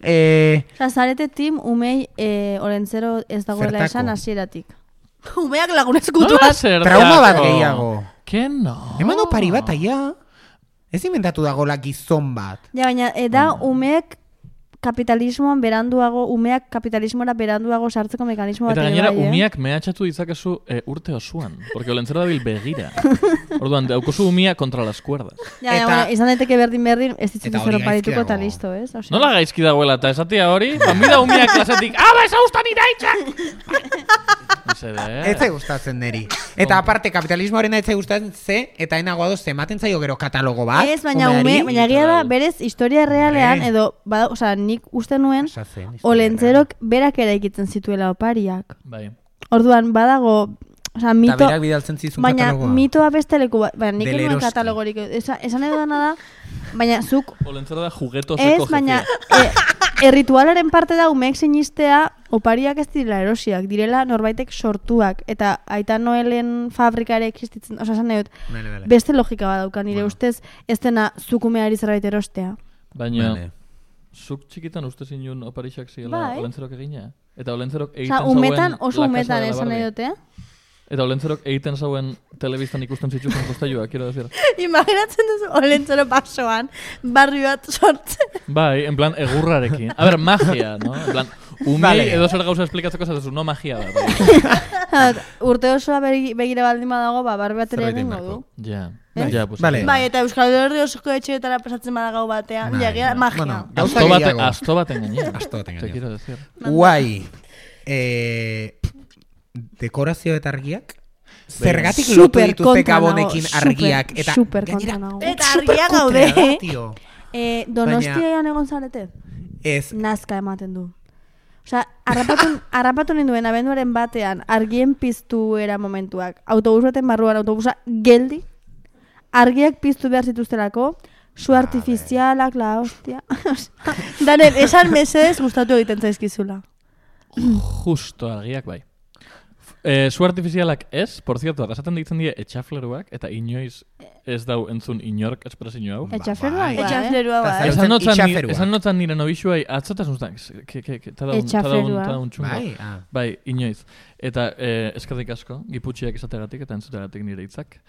[SPEAKER 4] Eh,
[SPEAKER 2] Osea, zarete tim umei e, olentzero ez dagoela
[SPEAKER 4] Zertako?
[SPEAKER 2] esan hasieratik.
[SPEAKER 6] Umeak lagunezkutuak.
[SPEAKER 5] Nola zer
[SPEAKER 4] trauma bat
[SPEAKER 5] dako?
[SPEAKER 4] gehiago.
[SPEAKER 5] Que no?
[SPEAKER 4] Eman opari bat aia. Ez inventatu dagoela gizon bat.
[SPEAKER 2] Ja, baina, e, da umeek kapitalismoan beranduago, umeak kapitalismora beranduago sartzeko mekanismo bat
[SPEAKER 5] Eta
[SPEAKER 2] ere
[SPEAKER 5] gainera,
[SPEAKER 2] bai, eh?
[SPEAKER 5] umiak mehatxatu ditzakezu e, urte osoan. Porque olentzero dabil begira. Orduan, daukozu umia kontra las cuerdas.
[SPEAKER 2] Ja,
[SPEAKER 4] Eta-
[SPEAKER 2] eta, bueno, izan daiteke berdin berdin, ez ditzitu
[SPEAKER 4] Eta hori
[SPEAKER 2] zer oparituko
[SPEAKER 4] gaizki
[SPEAKER 2] eta
[SPEAKER 4] dago.
[SPEAKER 2] listo, ez? Osea,
[SPEAKER 5] Nola gaizki dagoela, eta esatia hori, bambida umiak klasetik, aba, ez haustan iraitzak! Mesede,
[SPEAKER 4] Ez
[SPEAKER 5] eh?
[SPEAKER 4] zai gustatzen neri. Eta aparte, kapitalismoaren ez zai gustatzen ze, eta enago adoz, ematen zaio gero katalogo bat.
[SPEAKER 2] ez, baina ume,
[SPEAKER 4] umeari.
[SPEAKER 2] baina egia da,
[SPEAKER 5] Literal.
[SPEAKER 2] berez, historia realean,
[SPEAKER 4] Hombre.
[SPEAKER 2] edo, bada, osea, nik uste nuen,
[SPEAKER 4] Pasa zen, historia
[SPEAKER 2] olentzerok berak eraikitzen zituela opariak.
[SPEAKER 5] Bai.
[SPEAKER 2] Orduan, badago, osea,
[SPEAKER 4] Eta
[SPEAKER 2] mito,
[SPEAKER 4] berak bidaltzen zizun
[SPEAKER 2] baina
[SPEAKER 4] katalogoa.
[SPEAKER 2] mitoa beste leku bat, baina nik
[SPEAKER 4] Del
[SPEAKER 2] enuen
[SPEAKER 4] Eroski.
[SPEAKER 2] katalogorik, esan, esan edo dana da, baina zuk,
[SPEAKER 5] Olentzero da juguetoseko
[SPEAKER 2] ez, baina,
[SPEAKER 5] jefia.
[SPEAKER 2] e, erritualaren parte da umeek sinistea opariak ez direla erosiak, direla norbaitek sortuak, eta Aita Noelen fabrika ere existitzen, osea, esan nahi dut,
[SPEAKER 4] Bale, bale.
[SPEAKER 2] beste logika bat dauka, nire
[SPEAKER 4] Bueno.
[SPEAKER 2] ustez, ez dena zukumeari zerbait erostea.
[SPEAKER 5] Baina,
[SPEAKER 4] Bale.
[SPEAKER 5] zuk txikitan uste zinun oparixak ziela
[SPEAKER 2] Bai.
[SPEAKER 5] olentzerok egina? Eta olentzerok egiten
[SPEAKER 2] Osea,
[SPEAKER 5] zauen
[SPEAKER 2] umetan, oso
[SPEAKER 5] La Casa
[SPEAKER 2] umetan
[SPEAKER 5] de la
[SPEAKER 2] esan nahi
[SPEAKER 5] Barbie.
[SPEAKER 2] dute, eh?
[SPEAKER 5] Eta olentzerok egiten zauen telebistan ikusten zituzten postailua, quiero decir.
[SPEAKER 6] Imaginatzen duzu olentzero basoan, barri bat sortzen.
[SPEAKER 5] Bai, en plan, egurrarekin. A ber, magia, no? En plan, umei
[SPEAKER 4] Vale.
[SPEAKER 5] edo zer gauza esplikatzeko zatezu, no magia da. Bai.
[SPEAKER 2] Urte osoa begi- begira baldin badago, ba, barbe bat ere
[SPEAKER 4] Zerbait
[SPEAKER 2] egingo
[SPEAKER 4] egin
[SPEAKER 2] du.
[SPEAKER 5] Ja,
[SPEAKER 2] Ez?
[SPEAKER 5] ja, pues.
[SPEAKER 4] Vale.
[SPEAKER 6] Bai, eta Euskal Herri osoko etxeetara pasatzen bada gau batean,
[SPEAKER 4] Bai,
[SPEAKER 6] jagia,
[SPEAKER 4] bai.
[SPEAKER 6] magia.
[SPEAKER 4] Bueno, gauza
[SPEAKER 5] Asto bate,
[SPEAKER 4] gehiago.
[SPEAKER 5] asto baten gainera.
[SPEAKER 4] Asto baten
[SPEAKER 5] Te
[SPEAKER 4] gainera.
[SPEAKER 5] quiero decir.
[SPEAKER 4] Guai. Eh, dekorazio eta argiak? Zergatik
[SPEAKER 2] Super
[SPEAKER 4] lotu dituzte
[SPEAKER 2] kontra
[SPEAKER 4] gabonekin
[SPEAKER 2] nago,
[SPEAKER 4] argiak?
[SPEAKER 2] super,
[SPEAKER 4] Eta
[SPEAKER 2] super
[SPEAKER 4] gainera,
[SPEAKER 2] kontra nago.
[SPEAKER 6] Eta
[SPEAKER 4] super
[SPEAKER 6] argia
[SPEAKER 4] kutrea
[SPEAKER 6] gaude.
[SPEAKER 4] da, tio.
[SPEAKER 2] Eh, Donostian egon zarete?
[SPEAKER 4] Ez,
[SPEAKER 2] Nazka ematen du. Osea, harrapatu, harrapatu ninduen abenduaren batean argien piztu era momentuak. Autobus baten barruan autobusa geldi, argiak piztu behar zituztelako, su artifizialak, la hostia. Osea,
[SPEAKER 6] Daniel, esan mesedez gustatu egiten zaizkizula.
[SPEAKER 5] Justo argiak bai. Eh, su artifizialak ez, por cierto, arrasaten ditzen die etxafleruak, eta inoiz ez dau entzun inork espresio hau.
[SPEAKER 2] Etxaflerua
[SPEAKER 4] bai.
[SPEAKER 2] bai, eh?
[SPEAKER 6] Etxaflerua
[SPEAKER 4] Eta
[SPEAKER 6] bai.
[SPEAKER 4] zer-
[SPEAKER 5] Esan notzan, ni,
[SPEAKER 4] itxaferua.
[SPEAKER 5] esan notzan nire nobixuai atzatasun zan, que, que, que, tadaun,
[SPEAKER 2] Etxaflerua.
[SPEAKER 5] tadaun, tadaun txungo.
[SPEAKER 4] bai, ah.
[SPEAKER 5] Bai, inoiz. Eta eh, eskerrik asko, giputxiak izategatik eta entzutegatik nire hitzak.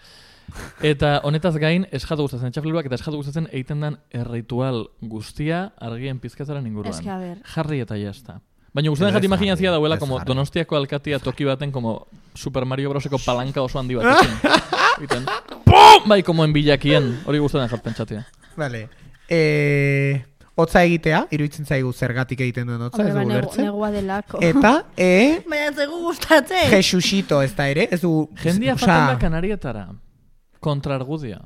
[SPEAKER 5] Eta honetaz gain, esjatu gustatzen etxafleruak eta esjatu gustatzen egiten den erritual guztia argien pizkatzaren inguruan.
[SPEAKER 2] Eske, a ber.
[SPEAKER 5] Jarri eta jazta. Baina gustatzen
[SPEAKER 4] Ez
[SPEAKER 5] jat imaginazia
[SPEAKER 4] jarri,
[SPEAKER 5] dauela
[SPEAKER 4] ez
[SPEAKER 5] como
[SPEAKER 4] jarri.
[SPEAKER 5] Donostiako alkatia toki baten como Super Mario Broseko palanka oso handi batekin. Egiten, pum! Bai, como en bilakien. Hori gustatzen jat pentsatia.
[SPEAKER 4] Vale. Eh, hotza egitea, iruditzen zaigu zergatik egiten duen hotza, ez
[SPEAKER 2] Hombre, ba,
[SPEAKER 4] dugu
[SPEAKER 2] negu-
[SPEAKER 4] lertzen.
[SPEAKER 2] negua delako.
[SPEAKER 4] Eta, e,
[SPEAKER 6] Baina ez zaigu gustatzen.
[SPEAKER 4] Jesusito ez da ere, ez du...
[SPEAKER 5] Jendia
[SPEAKER 4] osea,
[SPEAKER 5] faten da kanarietara. Kontra argudia.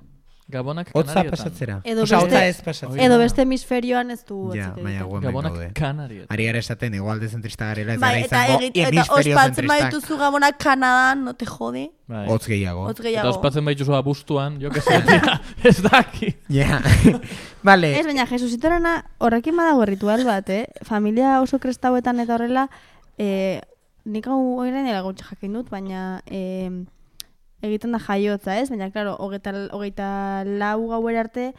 [SPEAKER 5] Gabonak
[SPEAKER 4] Hotza
[SPEAKER 5] kanarietan.
[SPEAKER 4] pasatzera.
[SPEAKER 2] Edo
[SPEAKER 4] Osea,
[SPEAKER 2] beste-
[SPEAKER 4] hotza ez pasatzera.
[SPEAKER 2] Edo beste hemisferioan ez du
[SPEAKER 4] Ja,
[SPEAKER 2] hotzik
[SPEAKER 4] baina
[SPEAKER 2] egiten.
[SPEAKER 4] guen
[SPEAKER 5] Gabonak
[SPEAKER 4] gaude.
[SPEAKER 5] kanarietan.
[SPEAKER 4] Ari gara esaten, egualde zentrista garela, ez
[SPEAKER 6] Bai,
[SPEAKER 4] gara
[SPEAKER 6] eta,
[SPEAKER 4] izango
[SPEAKER 6] egit, eta
[SPEAKER 4] hemisferio
[SPEAKER 6] ospatzen
[SPEAKER 4] zentristak.
[SPEAKER 6] baituzu gabonak Kanadan, no te jode.
[SPEAKER 5] Bai.
[SPEAKER 4] Hotz gehiago.
[SPEAKER 6] Hotz
[SPEAKER 5] Eta
[SPEAKER 6] gehiago.
[SPEAKER 5] ospatzen baituzu abuztuan, jo que se, tia, ez daki.
[SPEAKER 4] Ja. Vale.
[SPEAKER 2] Ez, baina Jesusitorena horrekin badago ritual bat, eh? Familia oso krestauetan eta horrela, eh, nik hau oiren gutxe jakin dut, baina eh, egiten da jaiotza, ez? Baina, klaro, hogeita, hogeita lau gauera arte,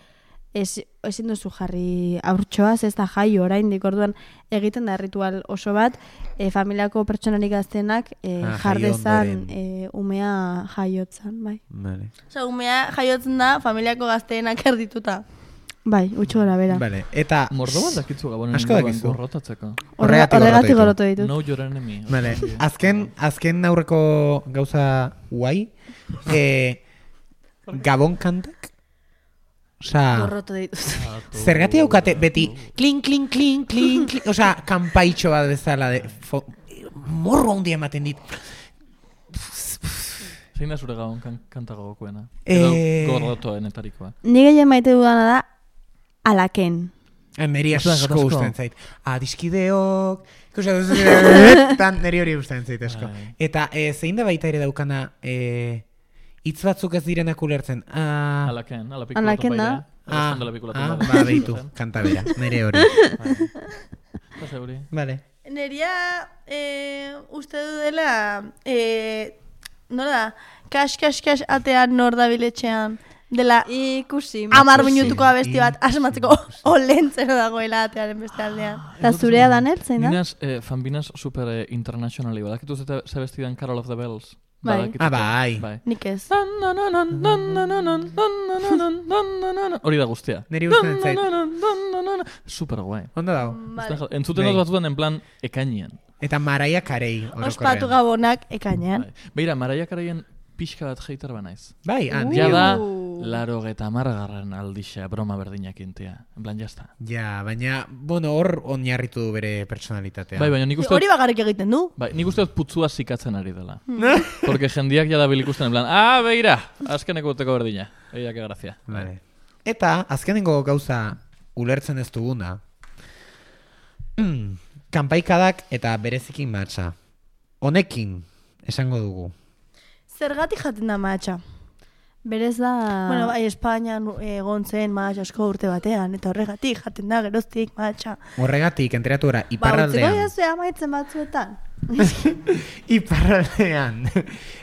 [SPEAKER 2] ez, ezin duzu jarri aurtsoaz, ez da jaio oraindik, orduan egiten da ritual oso bat, eh, familiako pertsonarik gaztenak eh,
[SPEAKER 4] Ah,
[SPEAKER 2] jardezan
[SPEAKER 4] jaio ondoren.
[SPEAKER 2] eh, umea jaiotzan, bai.
[SPEAKER 4] Vale.
[SPEAKER 6] Osea, umea jaiotzen da familiako gazteenak erdituta.
[SPEAKER 2] Bai, utxo gara bera.
[SPEAKER 4] Vale. Eta...
[SPEAKER 5] Mordo bat dakitzu gabonen
[SPEAKER 4] Asko
[SPEAKER 5] inguruan
[SPEAKER 4] dakizu.
[SPEAKER 5] gorrotatzeko.
[SPEAKER 4] Horregatik
[SPEAKER 2] Horregatik
[SPEAKER 4] gorrotu
[SPEAKER 2] gorotu ditut.
[SPEAKER 5] Know your enemy.
[SPEAKER 4] Vale. Azken, azken aurreko gauza guai, eh, Gabon kantak? Osea,
[SPEAKER 2] Gorrotu ditut.
[SPEAKER 4] zergatik daukate beti klin, klin, klin, klin, klin, osea, kanpaitxo bat bezala de, fo, morro handia ematen dit.
[SPEAKER 5] Zein da zure gabon kan, kanta gogokoena?
[SPEAKER 4] Eh,
[SPEAKER 5] Edo gorrotoenetarikoa.
[SPEAKER 2] Ni gehien maite dudana da alaken.
[SPEAKER 4] Neri
[SPEAKER 5] Ostras,
[SPEAKER 4] asko
[SPEAKER 5] gatazko.
[SPEAKER 4] gustatzen zait. Adiskideok, ikusi duzu, tan neri hori gustatzen zait asko.
[SPEAKER 5] Bai.
[SPEAKER 4] Eta eh, zein da baita ere daukana eh, hitz batzuk ez direnak ulertzen. Ah,
[SPEAKER 5] Alaken, ala
[SPEAKER 2] Alaken
[SPEAKER 5] pikulatu
[SPEAKER 2] da.
[SPEAKER 5] baida.
[SPEAKER 4] ah,
[SPEAKER 5] Eroskondela pikulatu
[SPEAKER 4] ah,
[SPEAKER 5] baida.
[SPEAKER 4] ba, behitu, kanta bera, nere hori.
[SPEAKER 5] Eta zeuri.
[SPEAKER 4] Vale.
[SPEAKER 6] Neria eh, uste du dela, eh, nola da, kas, kas, kas atean nor dabiletxean, dela
[SPEAKER 2] Ikusi.
[SPEAKER 6] amar
[SPEAKER 4] ikusi,
[SPEAKER 6] minutuko abesti bat
[SPEAKER 4] ikusi.
[SPEAKER 6] asmatzeko olentzero dagoela atearen beste aldean.
[SPEAKER 2] Eta zurea Danel, zein da?
[SPEAKER 5] Ninas, eh, fanbinas super eh, internationali. Badakitu zeta ze bestidan Carol of the Bells.
[SPEAKER 6] Bai.
[SPEAKER 4] Ah, bai.
[SPEAKER 5] Bai.
[SPEAKER 6] Nik ez.
[SPEAKER 5] Hori da guztia.
[SPEAKER 4] Neri gustatzen zait.
[SPEAKER 5] Super guai.
[SPEAKER 4] Ondo dago.
[SPEAKER 5] Entzuten
[SPEAKER 4] Bai.
[SPEAKER 5] dut batzutan en plan ekainean.
[SPEAKER 4] Eta Mariah Carey orokorrean.
[SPEAKER 6] Ospatu gabonak ekainean.
[SPEAKER 5] Bai. Beira, Mariah Careyen pixka bat hater banaiz.
[SPEAKER 4] Bai, ah,
[SPEAKER 5] Ja
[SPEAKER 4] nio.
[SPEAKER 5] da, laro eta margarren aldixa broma berdinak intea. En plan, jazta.
[SPEAKER 4] Ja, baina, bueno, hor oinarritu du bere personalitatea.
[SPEAKER 5] Bai, baina nik uste
[SPEAKER 6] Hori
[SPEAKER 5] dut,
[SPEAKER 6] bakarrik egiten du.
[SPEAKER 5] bai, nik uste dut putzua zikatzen ari dela. Porque jendiak jada bilikusten en plan, ah, beira, azkeneko urteko berdina. Eia, que grazia.
[SPEAKER 4] Vale. Eta, azkenengo gauza ulertzen ez duguna, mm, kanpaikadak eta bereziki matxa. Honekin, esango dugu.
[SPEAKER 6] Zergatik jaten da mahatxa.
[SPEAKER 2] Berez da...
[SPEAKER 6] Bueno, bai, Espainian egon zen mahatxa asko urte batean, eta horregatik jaten da geroztik mahatxa.
[SPEAKER 4] Horregatik, enteratu gara,
[SPEAKER 6] Ba, utziko
[SPEAKER 4] iparraldean.
[SPEAKER 6] jazue amaitzen batzuetan.
[SPEAKER 4] Iparraldean.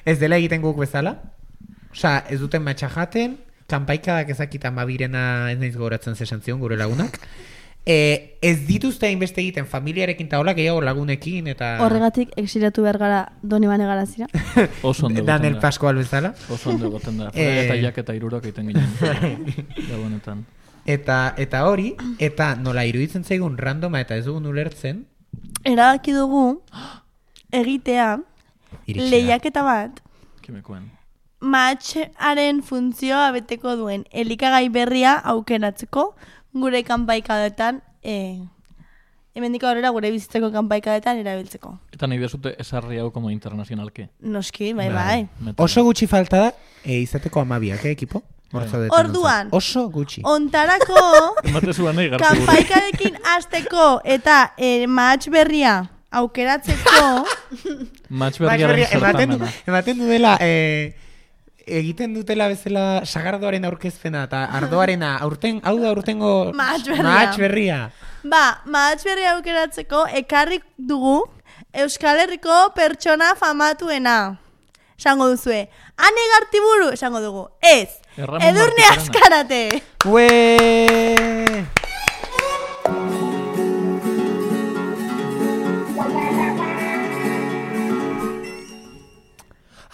[SPEAKER 4] Ez dela egiten guk bezala? Osea, ez duten matxa jaten, kanpaikadak ezakita mabirena ez naiz goratzen zesan zion gure lagunak. E, ez dituzte hainbeste egiten familiarekin eta hola gehiago lagunekin eta...
[SPEAKER 2] Horregatik exilatu behar gara Donibane Garazira.
[SPEAKER 5] Oso ondo
[SPEAKER 4] Daniel
[SPEAKER 5] egoten da.
[SPEAKER 4] Pascual bezala.
[SPEAKER 5] Oso ondo egoten da.
[SPEAKER 4] Eh.
[SPEAKER 5] Eta jak eta irurok egiten ginen. Gabonetan.
[SPEAKER 4] Eta, eta hori, eta nola iruditzen zaigun randoma eta ez dugun ulertzen,
[SPEAKER 6] Erabaki dugu egitea
[SPEAKER 4] iritsi da.
[SPEAKER 6] lehiaketa bat
[SPEAKER 5] Kimekuen.
[SPEAKER 6] mahatxaren funtzioa beteko duen elikagai berria aukeratzeko gure kanpaikadetan e, hemendik aurrera gure bizitzeko kanpaikadetan erabiltzeko.
[SPEAKER 5] Eta nahi desute esarri hau como internazionalke.
[SPEAKER 6] Noski, bai,
[SPEAKER 4] Bai.
[SPEAKER 6] bai.
[SPEAKER 5] Meta.
[SPEAKER 4] Oso gutxi falta da, e, izateko amabiak, eh, ekipo? Hor
[SPEAKER 5] Bai.
[SPEAKER 4] zaudeten
[SPEAKER 6] Orduan.
[SPEAKER 4] ontzat. Oso gutxi.
[SPEAKER 6] Ontarako
[SPEAKER 5] Emate zuan nahi gartu gure.
[SPEAKER 6] kanpaikadekin hasteko eta e, mahatx berria aukeratzeko
[SPEAKER 5] Match
[SPEAKER 4] Max
[SPEAKER 5] berriaren
[SPEAKER 4] Berria, ematen, du,
[SPEAKER 5] zertamena.
[SPEAKER 4] ematen du dela, e, egiten dutela bezala sagardoaren aurkezpena eta ardoarena, aurten, hau da aurtengo
[SPEAKER 6] Mahats berria.
[SPEAKER 4] mahats berria.
[SPEAKER 6] ba, mahatx berria aukeratzeko ekarrik dugu Euskal Herriko pertsona famatuena. Esango duzue, Ane Gartiburu, esango dugu, ez,
[SPEAKER 5] Erramon
[SPEAKER 6] Edurne
[SPEAKER 5] Martikorena.
[SPEAKER 6] Azkarate.
[SPEAKER 4] Ue!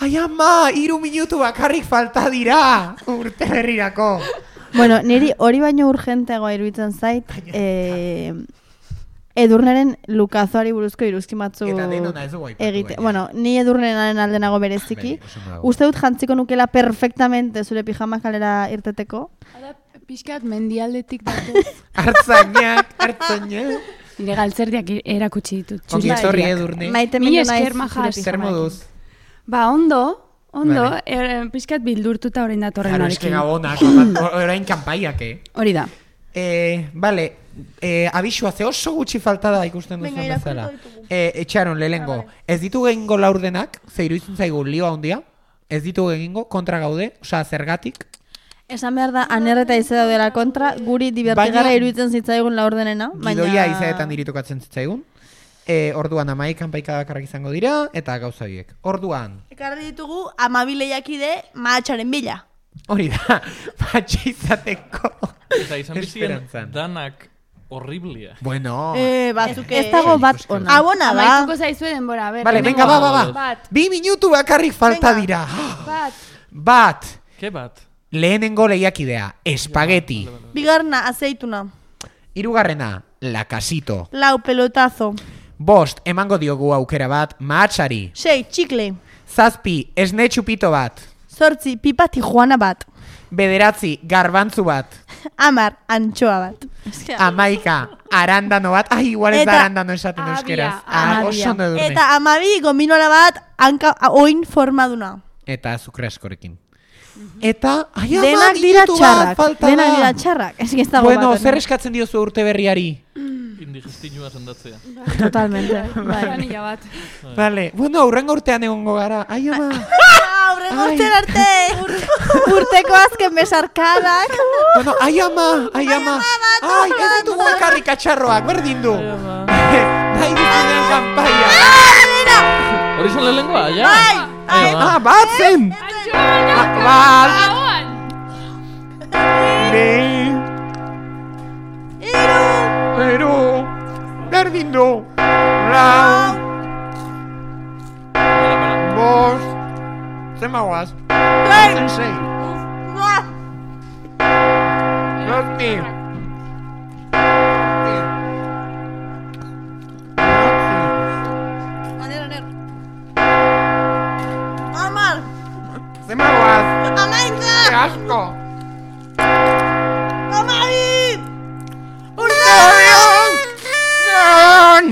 [SPEAKER 4] Ai ama, iru minutu bakarrik falta dira urte berrirako.
[SPEAKER 2] Bueno, niri hori baino urgenteagoa iruditzen zait, eh, Edurneren lukazoari buruzko iruzki batzu
[SPEAKER 4] Eta denona ez dugu aipatu,
[SPEAKER 2] egite.
[SPEAKER 4] baina.
[SPEAKER 2] Bueno, ni Edurneren aldenago bereziki.
[SPEAKER 4] Bai, oso ondo dago.
[SPEAKER 2] Uste dut jantziko nukela perfectamente zure pijama kalera irteteko.
[SPEAKER 7] Hala, pixkat mendialdetik datu.
[SPEAKER 4] Hartzainak, hartzainak.
[SPEAKER 7] Nire galtzerdiak erakutsi ditut.
[SPEAKER 4] Ongi
[SPEAKER 7] txuriak.
[SPEAKER 4] etorri Edurne.
[SPEAKER 2] Maite
[SPEAKER 7] Mila
[SPEAKER 2] mindu naiz
[SPEAKER 7] esker, maja,
[SPEAKER 2] zure
[SPEAKER 7] zer
[SPEAKER 4] Zer
[SPEAKER 2] pijama.
[SPEAKER 4] moduz?
[SPEAKER 7] Ba, ondo, ondo,
[SPEAKER 4] Vale.
[SPEAKER 7] er, pixkat bildurtuta orain datorren
[SPEAKER 4] Claro, eske
[SPEAKER 7] honekin.
[SPEAKER 4] gabonak, orain kanpaiak, eh?
[SPEAKER 7] Hori da.
[SPEAKER 4] Eh, vale, eh, abisua ze oso gutxi falta da ikusten
[SPEAKER 6] Venga,
[SPEAKER 4] duzuen
[SPEAKER 6] irakurriko
[SPEAKER 4] bezala.
[SPEAKER 6] ditugu.
[SPEAKER 4] Eh, etxaron lehengo, ez ditu egingo laurdenak, ze iruditzen zaigu lio handia, ez ditu egingo, kontra gaude, osea, zergatik.
[SPEAKER 2] Esan behar da, anerre eta ize daudela kontra, guri divertigarra
[SPEAKER 4] Baina-
[SPEAKER 2] iruditzen zitzaigun laurdenena.
[SPEAKER 4] Gidoia izaetan diritukatzen zitzaigun. Eh, orduan amaik kanpaika bakarrak izango dira, eta gauza horiek. Orduan,
[SPEAKER 6] Ekarri ditugu amabi lehiakide mahatxaren bila.
[SPEAKER 4] hori da, batxe izateko.
[SPEAKER 5] Eta izan bizien
[SPEAKER 4] Esperantzan.
[SPEAKER 5] danak horriblia.
[SPEAKER 4] Bueno,
[SPEAKER 6] Eh, batzuk
[SPEAKER 2] Ez dago bat
[SPEAKER 4] Ikusten.
[SPEAKER 2] ona.
[SPEAKER 6] Abona da.
[SPEAKER 7] Amaituko zaizue denbora, a ber.
[SPEAKER 4] vale,
[SPEAKER 7] lehenengo
[SPEAKER 4] venga, ba, ba, ba.
[SPEAKER 7] Bat,
[SPEAKER 4] Bi minutu bakarrik falta
[SPEAKER 6] Venga.
[SPEAKER 4] dira.
[SPEAKER 7] bat.
[SPEAKER 4] Bat,
[SPEAKER 5] Ke bat?
[SPEAKER 4] lehenengo lehiakidea, espageti.
[SPEAKER 6] Bigarna, azeituna.
[SPEAKER 4] Hirugarrena, lakasito.
[SPEAKER 6] Lau, pelotazo.
[SPEAKER 4] Bost, emango diogu aukera bat, mahatsari.
[SPEAKER 6] Sei, txikle.
[SPEAKER 4] Zazpi, esne txupito bat.
[SPEAKER 6] Zortzi, pipa tijuana bat.
[SPEAKER 4] Bederatzi, garbantzu bat.
[SPEAKER 6] Amar, antxoa bat.
[SPEAKER 4] Amaika, arandano bat. Ai, igual ez da
[SPEAKER 6] Eta-
[SPEAKER 4] arandano esaten
[SPEAKER 7] Abia,
[SPEAKER 4] euskeraz. Ah,
[SPEAKER 7] abia.
[SPEAKER 4] oso ondo edurne.
[SPEAKER 6] Eta amabi, gominola bat, hanka, a- oin formaduna.
[SPEAKER 4] Eta azukre askorekin. Eta, ai, ama,
[SPEAKER 6] Denak dira
[SPEAKER 4] minutu bat
[SPEAKER 6] txarrak.
[SPEAKER 4] falta
[SPEAKER 6] Denak
[SPEAKER 4] da.
[SPEAKER 6] dira txarrak.
[SPEAKER 2] Ez que ez dago
[SPEAKER 4] Bueno,
[SPEAKER 2] bat
[SPEAKER 4] zer
[SPEAKER 2] ona.
[SPEAKER 4] eskatzen diozu urte berriari?
[SPEAKER 5] Indigestinua sendatzea.
[SPEAKER 2] Totalmente.
[SPEAKER 7] Granilla bat.
[SPEAKER 4] Vale, bueno, aurrengo urtean egongo gara. Ai, ama.
[SPEAKER 6] Aurren
[SPEAKER 4] Ai.
[SPEAKER 6] urten arte. Urteko azken besarkadak.
[SPEAKER 4] Bueno, ai, ama, ai, ama. Ai, ez ditugu bakarrik atxarroak, berdin du. Nahi duzunean kanpaia.
[SPEAKER 5] Hori zan lehenengoa, ja?
[SPEAKER 6] Bai,
[SPEAKER 5] Ai,
[SPEAKER 4] Ah, bat zen! Ah, bat!
[SPEAKER 7] Ahoan!
[SPEAKER 4] Bi! Hiru! Berdin du! Lau! Bost! sei. Zazpi.
[SPEAKER 6] Aner, aner. Amar.
[SPEAKER 4] Zema guaz.
[SPEAKER 6] Amaika.
[SPEAKER 4] Ze asko.
[SPEAKER 6] Amabi.
[SPEAKER 4] Urteberrion! Non!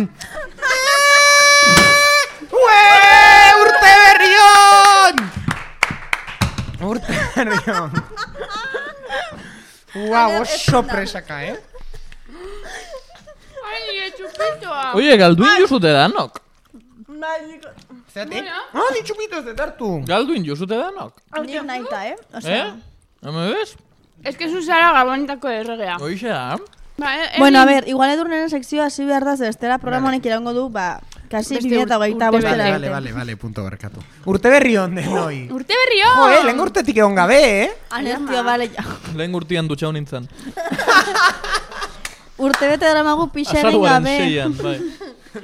[SPEAKER 4] Ue! Urteberrion! Urteberrion! Guau, oso presaka, eh?
[SPEAKER 5] Oie, galduin juzute danok.
[SPEAKER 4] Zerate? Ah, ni txupito ez hartu.
[SPEAKER 5] Galduin juzute danok.
[SPEAKER 6] Nik naita, eh?
[SPEAKER 5] Eh?
[SPEAKER 6] Osea,
[SPEAKER 5] Hame bez?
[SPEAKER 7] Ez que zu zara gabonetako erregea.
[SPEAKER 5] Oixe da.
[SPEAKER 7] Ba, e-
[SPEAKER 6] Bueno, a
[SPEAKER 7] egin-
[SPEAKER 6] ver, igual edurneren sekzioa hasi behar da, zestera programa honek iraungo du, ba, kasi
[SPEAKER 7] Beste
[SPEAKER 6] bi mila hogeita
[SPEAKER 7] urte
[SPEAKER 6] bostera
[SPEAKER 7] bete.
[SPEAKER 4] Vale, vale, vale, vale, punto berkatu. Urteberrion denoi.
[SPEAKER 7] Urte berrio!
[SPEAKER 4] Jo, eh, lehen urtetik egon gabe, eh?
[SPEAKER 6] Aner, tio, bale, ja.
[SPEAKER 5] Lehen urtian dutxau nintzen.
[SPEAKER 6] Urte bete daramagu pixa egin
[SPEAKER 5] Azaruaren
[SPEAKER 6] gabe.
[SPEAKER 5] seian, bai.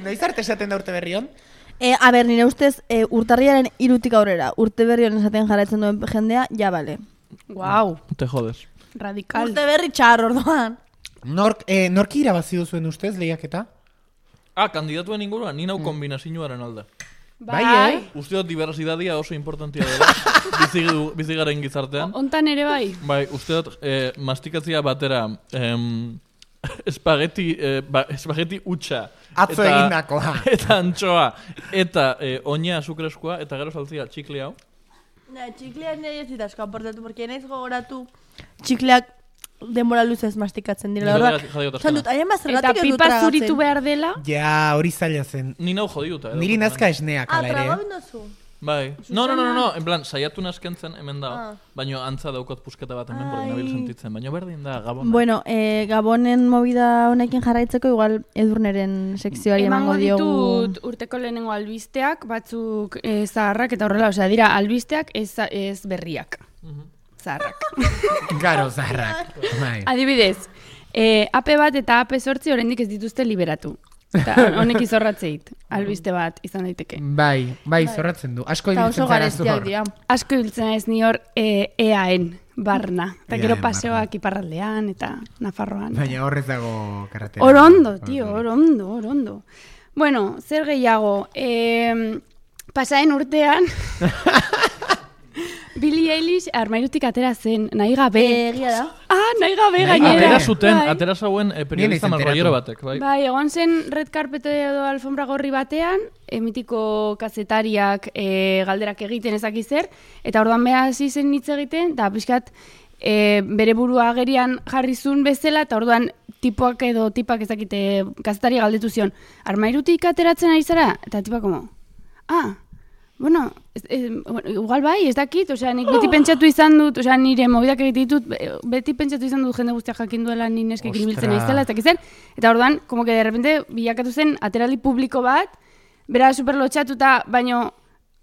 [SPEAKER 4] Noiz arte esaten da Urteberrion?
[SPEAKER 6] E, a ber, nire ustez, e, urtarriaren irutik aurrera, urte berri honen esaten jarraitzen duen jendea, ja, bale.
[SPEAKER 7] Guau,
[SPEAKER 5] Te jodes.
[SPEAKER 7] radikal.
[SPEAKER 6] Urte berri txar, orduan.
[SPEAKER 4] Nork, eh, norki irabazi duzuen ustez lehiaketa?
[SPEAKER 5] Ah, kandidatuen inguruan, ni nau kombinazioaren alde.
[SPEAKER 4] Bai, eh?
[SPEAKER 5] Uste dut diversidadia oso importantia dela, bizi, bizigaren gizartean.
[SPEAKER 7] Hontan ere bai.
[SPEAKER 5] Bai, uste dut eh, mastikatzia batera em, espageti, eh, ba, espageti utxa.
[SPEAKER 4] Atzo
[SPEAKER 5] eta-
[SPEAKER 4] egindakoa.
[SPEAKER 5] Eta antxoa, eta eh, oina azukreskoa, eta gero saltzia txikli hau.
[SPEAKER 6] Na, txikleak nire ez zitazko aportatu, porque naiz gogoratu txikleak denbora luzez mastikatzen
[SPEAKER 5] Nik
[SPEAKER 6] dira. Orduan,
[SPEAKER 5] horregatik jadiotasuna.
[SPEAKER 6] esan dut, haien
[SPEAKER 7] Eta
[SPEAKER 6] bazergatik ez dut
[SPEAKER 7] pipa zuritu
[SPEAKER 6] tragatzen.
[SPEAKER 7] behar dela.
[SPEAKER 4] Ja, hori zaila zen.
[SPEAKER 5] Ni nau jodiuta. edo,
[SPEAKER 4] Niri
[SPEAKER 5] bai.
[SPEAKER 4] nazka esneak
[SPEAKER 6] Ah,
[SPEAKER 4] ala ere.
[SPEAKER 6] traga
[SPEAKER 4] eh?
[SPEAKER 6] bindozu.
[SPEAKER 5] Bai. No, no, no, no, no, en plan, saiatu naskentzen hemen da,
[SPEAKER 6] Ah.
[SPEAKER 5] baino antza daukot pusketa bat hemen, porque
[SPEAKER 6] Ai.
[SPEAKER 5] nabil sentitzen, baino berdin da, gabona.
[SPEAKER 6] Bueno, eh, Gabonen movida honekin jarraitzeko igual edurneren sekzioari emango
[SPEAKER 7] Emango
[SPEAKER 6] diogu.
[SPEAKER 7] ditut urteko lehenengo albisteak, batzuk eh, zaharrak eta horrela, osea, dira albisteak ez, ez berriak.
[SPEAKER 5] Mhm.
[SPEAKER 7] Zaharrak.
[SPEAKER 4] Garo, zarrak. Bai.
[SPEAKER 7] Adibidez, eh, A P bat eta A P zortzi oraindik ez dituzte liberatu. Eta honek izorratzeit, albiste bat izan daiteke.
[SPEAKER 4] Bai, bai, zorratzen du. Asko
[SPEAKER 6] Eta
[SPEAKER 4] ibiltzen
[SPEAKER 6] oso
[SPEAKER 4] zara
[SPEAKER 6] garestiak
[SPEAKER 4] zor.
[SPEAKER 6] dira.
[SPEAKER 7] Asko hiltzen ez ni hor eh, E A N barna. Eta gero
[SPEAKER 4] E A N
[SPEAKER 7] paseoak iparraldean eta Nafarroan.
[SPEAKER 4] Baina horrez dago karretera.
[SPEAKER 7] Hor ondo, tio, hor ondo, hor ondo. Bueno, zer gehiago, eh, pasaen urtean, Billie Eilish armairutik atera zen, nahi gabe.
[SPEAKER 6] Egia da.
[SPEAKER 7] Ah, nahi gabe
[SPEAKER 4] Nahi
[SPEAKER 7] gainera.
[SPEAKER 5] Atera zuten,
[SPEAKER 7] Bai.
[SPEAKER 5] atera zauen eh, periodista
[SPEAKER 4] Ni naiz
[SPEAKER 5] marroiero
[SPEAKER 4] enteratu.
[SPEAKER 5] batek, bai.
[SPEAKER 7] Bai, egon zen red carpet edo alfombra gorri batean, emitiko kazetariak e, galderak egiten ezaki zer, eta orduan beha hasi zen hitz egiten, eta pixkat e, bere burua agerian jarri zuen bezala, eta orduan tipoak edo tipak ezakite kazetari galdetu zion, armairutik ateratzen ari zara? Eta tipak como, ah, bueno, ez, ez, bueno, igual bai, ez dakit, osea, nik beti pentsatu izan dut, osea, nire mobidak egiten ditut, be- beti pentsatu izan dut jende guztiak jakin duela ni neskek
[SPEAKER 4] Ostra.
[SPEAKER 7] ibiltzen naizela, ez dakit zer, eta orduan, como que de repente bilakatu zen aterali publiko bat, bera super lotxatuta, baino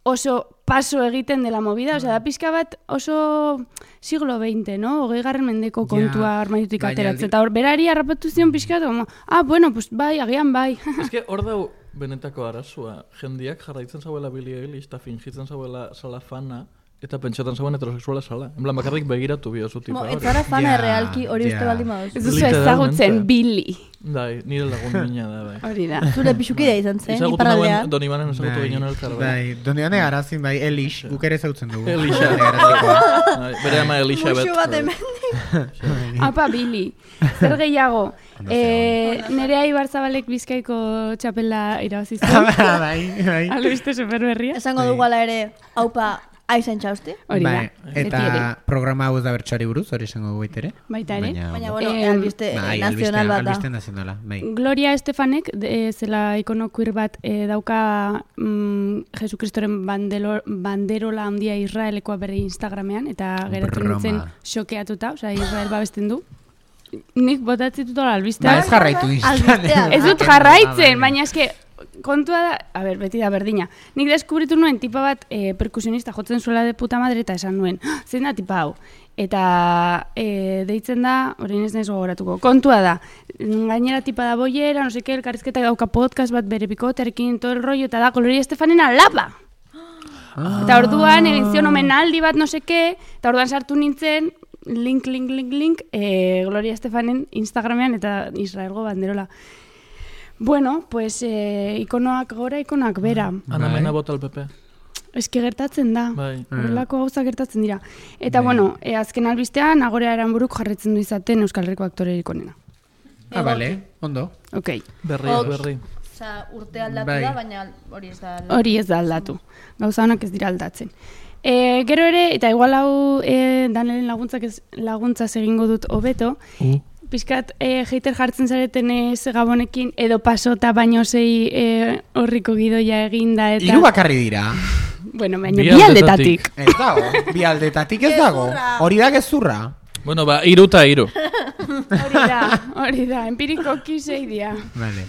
[SPEAKER 7] oso paso egiten dela movida, osea, da pixka bat oso siglo veinte, no? Hogei garren mendeko kontua
[SPEAKER 4] Ja,
[SPEAKER 7] armairutik
[SPEAKER 4] baina
[SPEAKER 7] ateratzen,
[SPEAKER 4] aldi-
[SPEAKER 7] eta hor berari harrapatu zion pixka, eta como, ah, bueno, pues bai, agian bai.
[SPEAKER 5] Ez que hor dau benetako arazua, jendiak jarraitzen zauela Billie Eilish, eta fingitzen zauela sala fana, eta pentsatzen zauen heterosexuala sala. En plan, bakarrik begiratu biozu tipa
[SPEAKER 6] Mo,
[SPEAKER 5] hori.
[SPEAKER 6] ez zara fana
[SPEAKER 4] Ja,
[SPEAKER 6] errealki hori uste
[SPEAKER 4] ja.
[SPEAKER 6] baldin baduzu.
[SPEAKER 7] Ez duzu
[SPEAKER 5] Literalmente.
[SPEAKER 7] ezagutzen Billy.
[SPEAKER 5] Bai, nire lagun mina da, bai.
[SPEAKER 7] Hori da.
[SPEAKER 6] Zure pixukidea izan zen,
[SPEAKER 5] Ezagutu
[SPEAKER 6] iparraldea.
[SPEAKER 5] nauen Don Ibanen ezagutu ginen elkar, bai.
[SPEAKER 4] Bai, donde ane garazin, bai, Elish, guk ere zautzen dugu.
[SPEAKER 5] Elixa.
[SPEAKER 4] Done Garazikoa.
[SPEAKER 5] Bai, bere ama Elizabeth.
[SPEAKER 6] Muxu bat
[SPEAKER 5] bai.
[SPEAKER 6] hemen.
[SPEAKER 7] Apa, Billy. Zer gehiago? Eh, Nerea Ibarzabalek Bizkaiko txapela irabazi zuen.
[SPEAKER 4] Bai, bai.
[SPEAKER 7] Albiste superberria.
[SPEAKER 6] Esango dugu ala ere, haupa, aizan txausti.
[SPEAKER 7] Hori da.
[SPEAKER 4] Bai, eta
[SPEAKER 7] Beti ere.
[SPEAKER 4] programa hau ez da bertxari buruz, hori esango dugu baitere.
[SPEAKER 7] Baita ere.
[SPEAKER 6] Baina, bueno,
[SPEAKER 7] Em,
[SPEAKER 6] albiste
[SPEAKER 4] Bai,
[SPEAKER 6] nazional bat da.
[SPEAKER 4] albiste nazionala, bai.
[SPEAKER 7] Gloria Estefanek, de, zela ikono queer bat, eh, dauka mm, Jesukristoren bandelo, banderola handia Israelekoa bere Instagramean, eta geratu
[SPEAKER 4] Broma.
[SPEAKER 7] nintzen xokeatuta, osea, Israel babesten du. Nik botatzen dut
[SPEAKER 4] Ba,
[SPEAKER 7] albistea.
[SPEAKER 4] ez jarraitu
[SPEAKER 6] Albistea.
[SPEAKER 4] izan.
[SPEAKER 7] Ez dut jarraitzen, baina eske kontua da, a ber, beti da berdina. Nik deskubritu nuen tipa bat e, perkusionista jotzen zuela de puta madre eta esan nuen, "Ah, zein da tipa hau?" Eta e, deitzen da, orain ez naiz gogoratuko, kontua da, gainera tipa da boiera, no seke, elkarrizketa dauka podcast bat bere bikotearekin, todo el rollo, eta da Gloria Estefanena lapa! Eta orduan egin zion omenaldi bat no seke, eta orduan sartu nintzen, link, link, link, link, eh, Gloria Estefanen Instagramean eta Israelgo banderola. Bueno, pues eh, ikonoak gora, ikonoak bera.
[SPEAKER 5] Ana Mena bota el P P.
[SPEAKER 7] Eski gertatzen da,
[SPEAKER 5] Bai.
[SPEAKER 7] horrelako gauza gertatzen dira. Eta bueno, eh, azken albistean, Agorea Aranburuk jarretzen du izaten Euskal Herriko aktorerik onena.
[SPEAKER 4] Ah, vale, ondo.
[SPEAKER 7] Ok.
[SPEAKER 5] Berri,
[SPEAKER 6] Ok.
[SPEAKER 5] berri.
[SPEAKER 6] Osa, urte aldatu
[SPEAKER 4] Bai.
[SPEAKER 6] da, baina hori ez da aldatu.
[SPEAKER 7] Hori ez da aldatu. Gauza honak ez dira aldatzen. E, gero ere, eta igual hau e, Danelen laguntzak ez, laguntzaz egingo dut hobeto,
[SPEAKER 5] Uh.
[SPEAKER 7] pizkat e, hater jartzen zareten ez Gabonekin, edo pasota baino sei e, horriko gidoia eginda eta...
[SPEAKER 4] Hiru bakarri dira.
[SPEAKER 7] Bueno, baina
[SPEAKER 5] Bi
[SPEAKER 7] bi
[SPEAKER 5] aldetatik.
[SPEAKER 7] aldetatik.
[SPEAKER 4] Ez dago, bi aldetatik ez dago.
[SPEAKER 6] Gezurra.
[SPEAKER 4] Hori da gezurra.
[SPEAKER 5] Bueno, ba, iru eta iru.
[SPEAKER 7] Hori da, hori da, empirikoki sei dira.
[SPEAKER 4] Vale.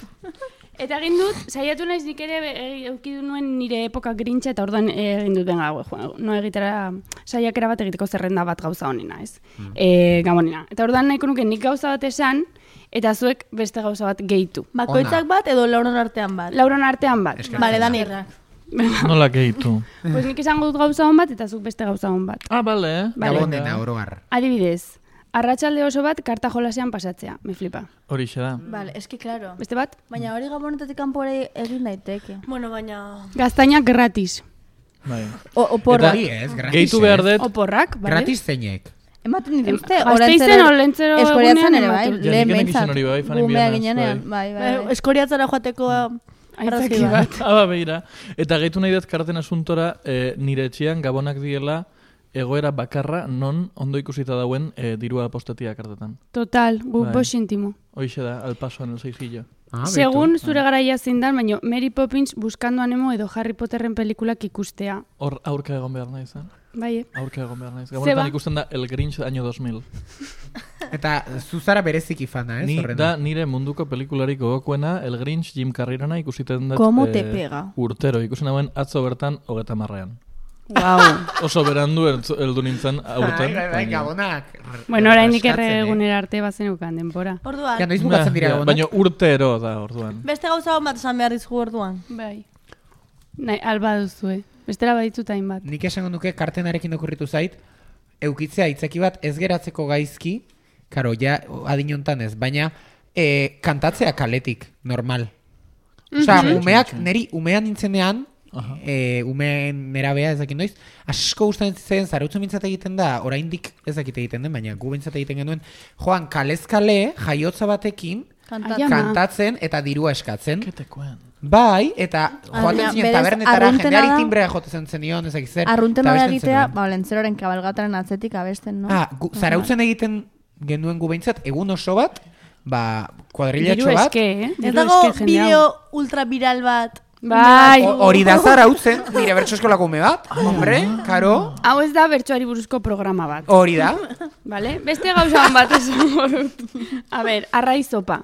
[SPEAKER 7] Eta egin dut, saiatu naiz nik ere e, eukidu nuen nire epoka grintxa eta orduan e, egin duten gau, no egitera saiakera bat egiteko zerrenda bat gauza honena, ez? Mm. E, Gabonena. Eta orduan nahiko nuke nik gauza bat esan, eta zuek beste gauza bat gehitu.
[SPEAKER 6] Bakoitzak bat edo lauron artean bat?
[SPEAKER 7] Lauron artean bat.
[SPEAKER 6] Bale, Danirrak.
[SPEAKER 5] Nola gehitu.
[SPEAKER 7] Pues nik esango dut gauza hon bat eta zuk beste gauza hon bat.
[SPEAKER 5] Ah, bale, eh?
[SPEAKER 7] Vale.
[SPEAKER 4] Gabonena, orogar.
[SPEAKER 7] Adibidez, arratsalde oso bat karta jolasean pasatzea, me flipa.
[SPEAKER 5] Horixe da.
[SPEAKER 6] Bale, eski, claro.
[SPEAKER 7] Beste bat?
[SPEAKER 6] Baina hori Gabonetatik kanpore egin daiteke. Bueno, baina...
[SPEAKER 7] Gaztainak gratis.
[SPEAKER 5] Bai.
[SPEAKER 6] O, oporra.
[SPEAKER 4] Hori ez, gratis
[SPEAKER 5] Gehitu
[SPEAKER 4] ez.
[SPEAKER 5] behar dut,
[SPEAKER 7] Oporrak, bale?
[SPEAKER 4] Gratis zeinek.
[SPEAKER 6] Ematen dituzte,
[SPEAKER 7] Gasteizen Olentzero
[SPEAKER 6] Eskoriatzen
[SPEAKER 7] egunean
[SPEAKER 6] ere, bai,
[SPEAKER 7] ematen.
[SPEAKER 5] Ja,
[SPEAKER 6] lehen
[SPEAKER 5] nik enek
[SPEAKER 6] behintzat.
[SPEAKER 5] izan hori bai, Fanny
[SPEAKER 6] Gumea
[SPEAKER 5] Bianas,
[SPEAKER 6] ginenean, bai, bai.
[SPEAKER 7] bai.
[SPEAKER 6] Eskoriatzara joateko arrazoi
[SPEAKER 7] Aitzaki
[SPEAKER 6] bat.
[SPEAKER 7] bat.
[SPEAKER 5] Aba, begira. Eta gehitu nahi dut karten asuntora, eh, nire etxean gabonak diela egoera bakarra non ondo ikusita dauen eh, dirua apostatia kartetan.
[SPEAKER 7] Total, gu
[SPEAKER 5] Bai.
[SPEAKER 7] bost intimo.
[SPEAKER 5] Hoixe da, al paso en el seijillo.
[SPEAKER 4] Ah,
[SPEAKER 7] Segun zure garaia zein dan, baina Mary Poppins Buscando a Nemo edo Harry Potterren pelikulak ikustea.
[SPEAKER 5] Hor aurka egon behar naiz, eh?
[SPEAKER 7] Bai, eh?
[SPEAKER 5] Aurka egon behar naiz.
[SPEAKER 7] Zeba.
[SPEAKER 5] Gabonetan ikusten da El Grinch año dos mil.
[SPEAKER 4] Eta zuzara bereziki fana, ez?
[SPEAKER 5] Ni
[SPEAKER 4] horrena?
[SPEAKER 5] da nire munduko pelikularik gogokoena El Grinch Jim Carreyrena ikusiten dut
[SPEAKER 6] Como te pega.
[SPEAKER 5] urtero. Ikusten dauen atzo bertan hogeta marrean.
[SPEAKER 7] Wow.
[SPEAKER 5] Oso berandu heldu heldu nintzen aurten.
[SPEAKER 4] Bai, bai, bai,
[SPEAKER 5] baina-
[SPEAKER 4] gabonak.
[SPEAKER 7] Bueno, oraindik
[SPEAKER 4] Raskatzen, eh?
[SPEAKER 7] erregunera arte bazenukan denbora.
[SPEAKER 6] Orduan,
[SPEAKER 4] Ja, noiz bukatzen dira
[SPEAKER 5] Ja,
[SPEAKER 4] gabonak?
[SPEAKER 5] baina urtero da orduan.
[SPEAKER 6] beste gauza hon bat esan behar dizugu orduan.
[SPEAKER 7] Bai. Nahi, alba duzue. Bestela baditut hainbat.
[SPEAKER 4] Nik esango nuke kartenarekin okurritu zait, eukitzea itzaki bat ez geratzeko gaizki, karo, ja adinontan ez, baina e, kantatzea kaletik, normal. Osea, umeak, neri umean nintzenean, e, umeen nerabea ezakin noiz, asko gustatzen zen, zarautzen bintzat egiten da, oraindik ezakit egiten den, baina gu bintzat egiten genuen, joan kalezkale, jaiotza batekin,
[SPEAKER 6] Kantat.
[SPEAKER 7] Ai, ama.
[SPEAKER 4] kantatzen eta dirua eskatzen.
[SPEAKER 5] Ketekoen.
[SPEAKER 4] Bai, eta joaten
[SPEAKER 6] baina
[SPEAKER 4] zinen
[SPEAKER 6] berez
[SPEAKER 4] tabernetara,
[SPEAKER 6] arruntena
[SPEAKER 4] jendeari
[SPEAKER 6] da-
[SPEAKER 4] timbrea jotzen zenion, ezakit zer.
[SPEAKER 6] Arrunten
[SPEAKER 4] eta
[SPEAKER 6] bada
[SPEAKER 4] abesten
[SPEAKER 6] egitea,
[SPEAKER 4] zenuen.
[SPEAKER 6] ba, Olentzeroren kabalgataren atzetik abesten, no?
[SPEAKER 4] Ah, gu, zarautzen egiten genuen gu behintzat, egun oso bat, ba,
[SPEAKER 7] Diru
[SPEAKER 4] kuadrillatxo bat,
[SPEAKER 7] eske, eh?
[SPEAKER 6] Ez
[SPEAKER 7] Diru
[SPEAKER 6] dago
[SPEAKER 7] eske jende hau.
[SPEAKER 6] bideo ultra viral bat.
[SPEAKER 7] Bai.
[SPEAKER 4] o- hori da zarautzen, nire bertso eskolako ume bat, hombre, karo,
[SPEAKER 7] Hau ez da bertsoari buruzko programa bat.
[SPEAKER 4] hori da.
[SPEAKER 7] Vale? Beste gauza bat esango dut. A ber, arraizopa.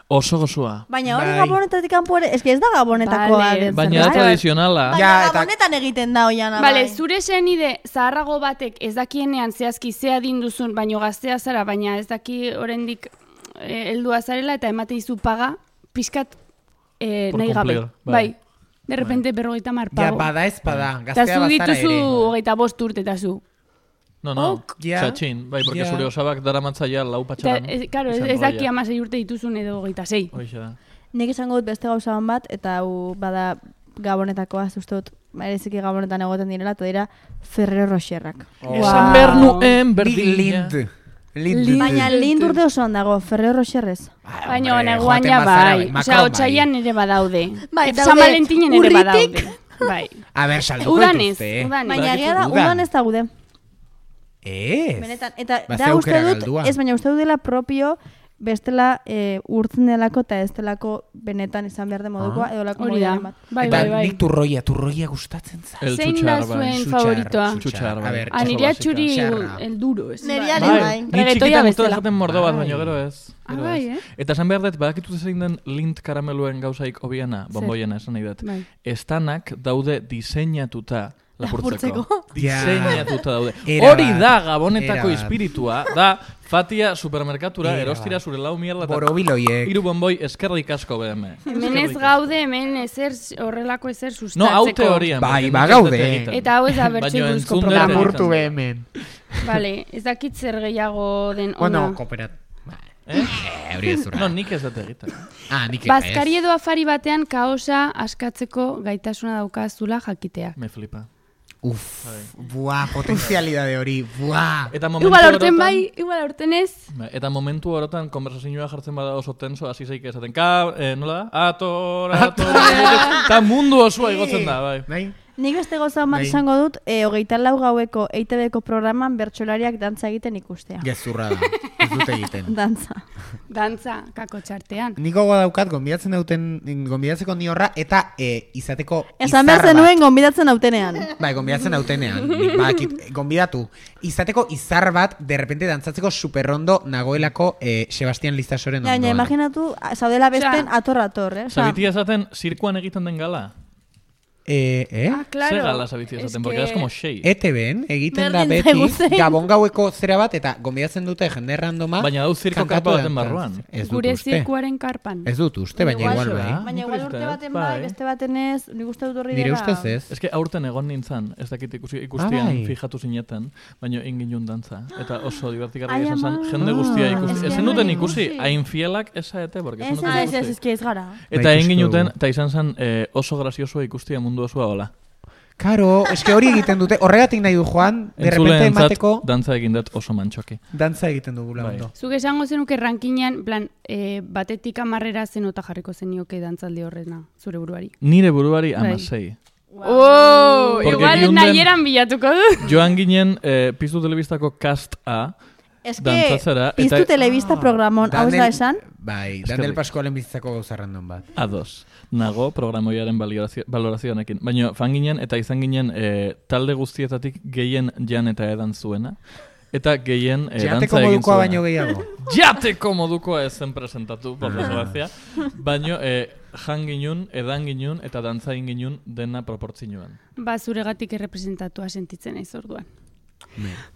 [SPEAKER 5] Oso gozoa.
[SPEAKER 6] Baina hori
[SPEAKER 4] Bai.
[SPEAKER 6] Gabonetatik kanpore, eske ez da Gabonetakoa.
[SPEAKER 7] Vale.
[SPEAKER 6] den
[SPEAKER 5] Baina da
[SPEAKER 6] zerbait.
[SPEAKER 5] tradizionala.
[SPEAKER 6] Baina
[SPEAKER 4] Ja, eta-
[SPEAKER 6] Gabonetan egiten da oian.
[SPEAKER 7] Bale, zure senide zaharrago batek ez dakienean zehazki zea dinduzun, baino gaztea zara, baina ez daki oraindik eh, heldua zarela eta emate izu paga, pixkat eh,
[SPEAKER 5] Por
[SPEAKER 7] nahi gabe.
[SPEAKER 5] cumplir, bai.
[SPEAKER 7] Bai. De repente berrogeita mar
[SPEAKER 4] Ja,
[SPEAKER 7] pago.
[SPEAKER 4] bada ez bada,
[SPEAKER 7] Eta
[SPEAKER 4] gaztea
[SPEAKER 7] zu
[SPEAKER 4] bazara
[SPEAKER 7] dituzu
[SPEAKER 4] ere.
[SPEAKER 7] hogeita bost urte eta zu.
[SPEAKER 5] No, no,
[SPEAKER 4] Ok, ja.
[SPEAKER 5] txatxin. Bai, porque
[SPEAKER 4] Ja.
[SPEAKER 5] zure osabak daramatzaia lau
[SPEAKER 7] Eta,
[SPEAKER 5] patxaran.
[SPEAKER 7] ez, claro, ez,
[SPEAKER 5] izan
[SPEAKER 7] ez daki
[SPEAKER 5] roia.
[SPEAKER 7] amasei urte dituzun edo hogeita sei.
[SPEAKER 5] Hoixe da.
[SPEAKER 6] Nik esango dut beste gauza hon bat, eta hau bada Gabonetakoa, uste dut, bereziki Gabonetan egoten direla, eta dira Ferrero Rocherrak.
[SPEAKER 4] Oh.
[SPEAKER 5] Esan behar nuen
[SPEAKER 4] Bi
[SPEAKER 5] berdina.
[SPEAKER 4] lind. Lind.
[SPEAKER 6] Baina lind urte oso dago, Ferrero Rocherrez.
[SPEAKER 4] Ah,
[SPEAKER 7] Baina
[SPEAKER 4] hombre,
[SPEAKER 7] neguan
[SPEAKER 4] joaten
[SPEAKER 7] ja
[SPEAKER 4] bazara,
[SPEAKER 7] bai.
[SPEAKER 4] Macron
[SPEAKER 7] Osea,
[SPEAKER 4] bai.
[SPEAKER 7] otsaian ere badaude.
[SPEAKER 6] Bai,
[SPEAKER 7] San
[SPEAKER 6] daude
[SPEAKER 7] Valentinen ere
[SPEAKER 6] urritik.
[SPEAKER 7] badaude. Bai.
[SPEAKER 4] A ber, salduko
[SPEAKER 7] Udanez,
[SPEAKER 4] dituzte.
[SPEAKER 7] udanez.
[SPEAKER 6] Baina
[SPEAKER 4] Badakizu
[SPEAKER 6] egia da,
[SPEAKER 4] udan.
[SPEAKER 6] udan ez da gude.
[SPEAKER 4] Ez.
[SPEAKER 6] Benetan, eta
[SPEAKER 4] Ba,
[SPEAKER 6] da
[SPEAKER 4] ze
[SPEAKER 6] uste
[SPEAKER 4] aukera
[SPEAKER 6] dut,
[SPEAKER 4] galdua.
[SPEAKER 6] ez baina uste dut dela propio bestela e, urtzen delako eta ez delako benetan izan behar de modukoa, edo lako
[SPEAKER 7] Hori da.
[SPEAKER 6] modaren bat.
[SPEAKER 7] Bai,
[SPEAKER 4] Eta
[SPEAKER 7] bai, bai.
[SPEAKER 4] nik turroia, turroia gustatzen za.
[SPEAKER 5] El
[SPEAKER 7] Zein
[SPEAKER 5] txutxar,
[SPEAKER 7] da
[SPEAKER 5] bai.
[SPEAKER 7] zuen
[SPEAKER 4] Txutxar,
[SPEAKER 7] favoritoa?
[SPEAKER 5] Txutxar, bai.
[SPEAKER 4] A ber,
[SPEAKER 5] Oso
[SPEAKER 7] Aniria
[SPEAKER 5] basika.
[SPEAKER 7] txuri
[SPEAKER 4] Txarra.
[SPEAKER 7] el duro, ez?
[SPEAKER 6] Neriari
[SPEAKER 7] Bai.
[SPEAKER 6] bai.
[SPEAKER 5] Ni
[SPEAKER 7] Reggaetoia
[SPEAKER 5] txikitan gustatu
[SPEAKER 7] bestela.
[SPEAKER 5] zaten mordo bat,
[SPEAKER 4] Bai.
[SPEAKER 5] baina gero ez.
[SPEAKER 7] Ah,
[SPEAKER 5] Gero
[SPEAKER 7] bai,
[SPEAKER 5] ez.
[SPEAKER 7] eh?
[SPEAKER 5] Eta esan behar dut, badakitut zein den lint karameluen gauzaik hobiena, bomboiena esan nahi dut.
[SPEAKER 7] Bai.
[SPEAKER 5] Estanak daude diseinatuta lapurtzeko.
[SPEAKER 6] Lapurtzeko.
[SPEAKER 5] Diseinatuta daude.
[SPEAKER 4] Era
[SPEAKER 5] Hori
[SPEAKER 4] bat,
[SPEAKER 5] da Gabonetako
[SPEAKER 4] era bat.
[SPEAKER 5] espiritua, da Fatia supermerkatura,
[SPEAKER 4] Ea,
[SPEAKER 5] erostira zure lau mierda eta
[SPEAKER 4] Borobiloiek.
[SPEAKER 5] hiru bonboi eskerrik asko B M.
[SPEAKER 7] Hemen ez gaude, hemen ezer horrelako ezer
[SPEAKER 5] No,
[SPEAKER 7] sustatzeko.
[SPEAKER 5] hau teorian.
[SPEAKER 4] Bai,
[SPEAKER 5] porque
[SPEAKER 4] ba,
[SPEAKER 5] nik ez
[SPEAKER 4] gaude.
[SPEAKER 5] dut egiten.
[SPEAKER 7] Eta hau ez da bertxe
[SPEAKER 5] Baina
[SPEAKER 7] buruzko
[SPEAKER 5] entzun dut
[SPEAKER 7] programa.
[SPEAKER 5] egiten.
[SPEAKER 4] Lapurtu hemen.
[SPEAKER 7] Vale, ez dakit zer gehiago den ona.
[SPEAKER 4] Bueno, kooperat.
[SPEAKER 5] Eh?
[SPEAKER 4] Eh, hori ez zurra.
[SPEAKER 5] No, nik ez dut egiten.
[SPEAKER 4] Ah, nik ez.
[SPEAKER 7] Bazkari edo afari batean kaosa askatzeko gaitasuna daukazula jakitea.
[SPEAKER 5] Me flipa.
[SPEAKER 4] Uf, buah, potenzialidade hori, buah.
[SPEAKER 5] Eta momentu
[SPEAKER 7] Igual aurten
[SPEAKER 5] orotan-
[SPEAKER 7] bai, igual aurten ez.
[SPEAKER 5] Bai, Eta momentu orotan konversazioa jartzen bada oso tenso, hasi zaik esaten, ka, eh, nola da? Ator, ator, eta mundu osoa igotzen da, bai.
[SPEAKER 4] Bai?
[SPEAKER 6] Nik beste gauza bat
[SPEAKER 4] Bai.
[SPEAKER 6] esango dut, e, hogeita lau gaueko E I T Bko programan bertsolariak dantza egiten ikustea.
[SPEAKER 4] Gezurra da, ez dute egiten.
[SPEAKER 6] Dantza.
[SPEAKER 7] Dantza, kako txartean.
[SPEAKER 4] Niko daukat, gonbidatzen dauten, gonbidatzeko ni horra, eta e, izateko
[SPEAKER 6] Esan behar
[SPEAKER 4] izar bat.
[SPEAKER 6] zenuen gonbidatzen autenean.
[SPEAKER 4] Bai, gonbidatzen dautenean, nik badakit, gonbidatu. Izateko izar bat, de repente dantzatzeko superrondo nagoelako e, Sebastian Lizasoren
[SPEAKER 6] Baina,
[SPEAKER 4] ondoan.
[SPEAKER 6] imaginatu, zaudela besten
[SPEAKER 7] Osea,
[SPEAKER 6] ator-ator, eh? Osea,
[SPEAKER 5] Sabitia esaten, zirkuan egiten den gala.
[SPEAKER 4] Eh, eh?
[SPEAKER 7] Ah, claro.
[SPEAKER 5] Ze gala sabitia esaten, porque es como xei.
[SPEAKER 4] E T B-en egiten da
[SPEAKER 6] Berdin
[SPEAKER 4] beti
[SPEAKER 6] zaigu zein.
[SPEAKER 4] gabon gaueko zera bat eta gonbidatzen dute jende randoma.
[SPEAKER 5] Baina dau zirko
[SPEAKER 4] kantatu
[SPEAKER 5] karpa baten
[SPEAKER 4] dantzatzen.
[SPEAKER 5] barruan.
[SPEAKER 4] Ez dut
[SPEAKER 7] Gure
[SPEAKER 4] uste.
[SPEAKER 7] zirkuaren karpan.
[SPEAKER 4] Ez dut uste, baina igual
[SPEAKER 5] Igual
[SPEAKER 4] bai.
[SPEAKER 5] da.
[SPEAKER 6] baina
[SPEAKER 5] Nik
[SPEAKER 6] igual
[SPEAKER 5] uste
[SPEAKER 6] urte
[SPEAKER 5] dut,
[SPEAKER 6] baten
[SPEAKER 5] bai.
[SPEAKER 6] bai, beste baten ez, nik uste dut horri
[SPEAKER 4] Nire
[SPEAKER 6] dela.
[SPEAKER 4] ustez ez.
[SPEAKER 5] Ez que aurten egon nintzen, ez dakit ikusi, ikustian
[SPEAKER 4] Ah, bai.
[SPEAKER 5] fijatu zineten, baina ingin dantza. Eta oso divertigarria
[SPEAKER 6] Ai,
[SPEAKER 5] izan zen,
[SPEAKER 6] ama.
[SPEAKER 5] jende guztia
[SPEAKER 6] Ah,
[SPEAKER 5] ikusi.
[SPEAKER 6] eske
[SPEAKER 5] Ez zenuten
[SPEAKER 6] bai,
[SPEAKER 5] ikusi,
[SPEAKER 6] ikusi.
[SPEAKER 5] hain fielak esaete, porque ez
[SPEAKER 6] Ez,
[SPEAKER 5] zenuten
[SPEAKER 6] ah, ez, ez,
[SPEAKER 5] ikusi.
[SPEAKER 6] ez, ez gara.
[SPEAKER 5] Eta
[SPEAKER 4] Bai,
[SPEAKER 5] egin
[SPEAKER 4] ikusi
[SPEAKER 5] ginuten,
[SPEAKER 4] dugu.
[SPEAKER 5] eta izan zen eh, oso graziosoa ikustia mundu osoa hola.
[SPEAKER 4] Karo, eske hori egiten dute, horregatik nahi du Juan, de repente
[SPEAKER 5] Entzuleentzat
[SPEAKER 4] emateko
[SPEAKER 5] dantza egin dut oso mantxoki.
[SPEAKER 4] dantza egiten dugula
[SPEAKER 5] Bai.
[SPEAKER 4] ondo.
[SPEAKER 7] Zuk esango zenuke rankinean, plan, e, batetik amarrera zenota jarriko zenioke dantzaldi horrena, zure buruari.
[SPEAKER 5] Nire buruari
[SPEAKER 7] Bai.
[SPEAKER 5] amasei.
[SPEAKER 7] Oh,
[SPEAKER 5] Porque
[SPEAKER 7] igual
[SPEAKER 5] giunden-
[SPEAKER 7] nahieran bilatuko du.
[SPEAKER 5] Joan ginen eh, Piztu Telebistako cast A,
[SPEAKER 6] Ez que,
[SPEAKER 5] dantzatzera,
[SPEAKER 6] piztu
[SPEAKER 5] eta-
[SPEAKER 6] telebista programon, hau ez da esan?
[SPEAKER 4] Bai,
[SPEAKER 5] Eskerrik.
[SPEAKER 4] Daniel Pascualen bizitzako gauza random bat.
[SPEAKER 5] ados. Nago programoiaren balorazio, balorazioanekin. Baina fan ginen eta izan ginen eh, talde guztietatik gehien jan eta edan zuena. Eta gehien eh,
[SPEAKER 4] Jateko
[SPEAKER 5] dantza egin
[SPEAKER 4] modukoa
[SPEAKER 5] zuena.
[SPEAKER 4] baino gehiago.
[SPEAKER 5] Jateko modukoa ez zen presentatu, por desgracia. Baina eh, jan ginen, edan ginen eta dantza egin ginen dena proportzioan.
[SPEAKER 7] Ba, zuregatik errepresentatua sentitzen naiz orduan.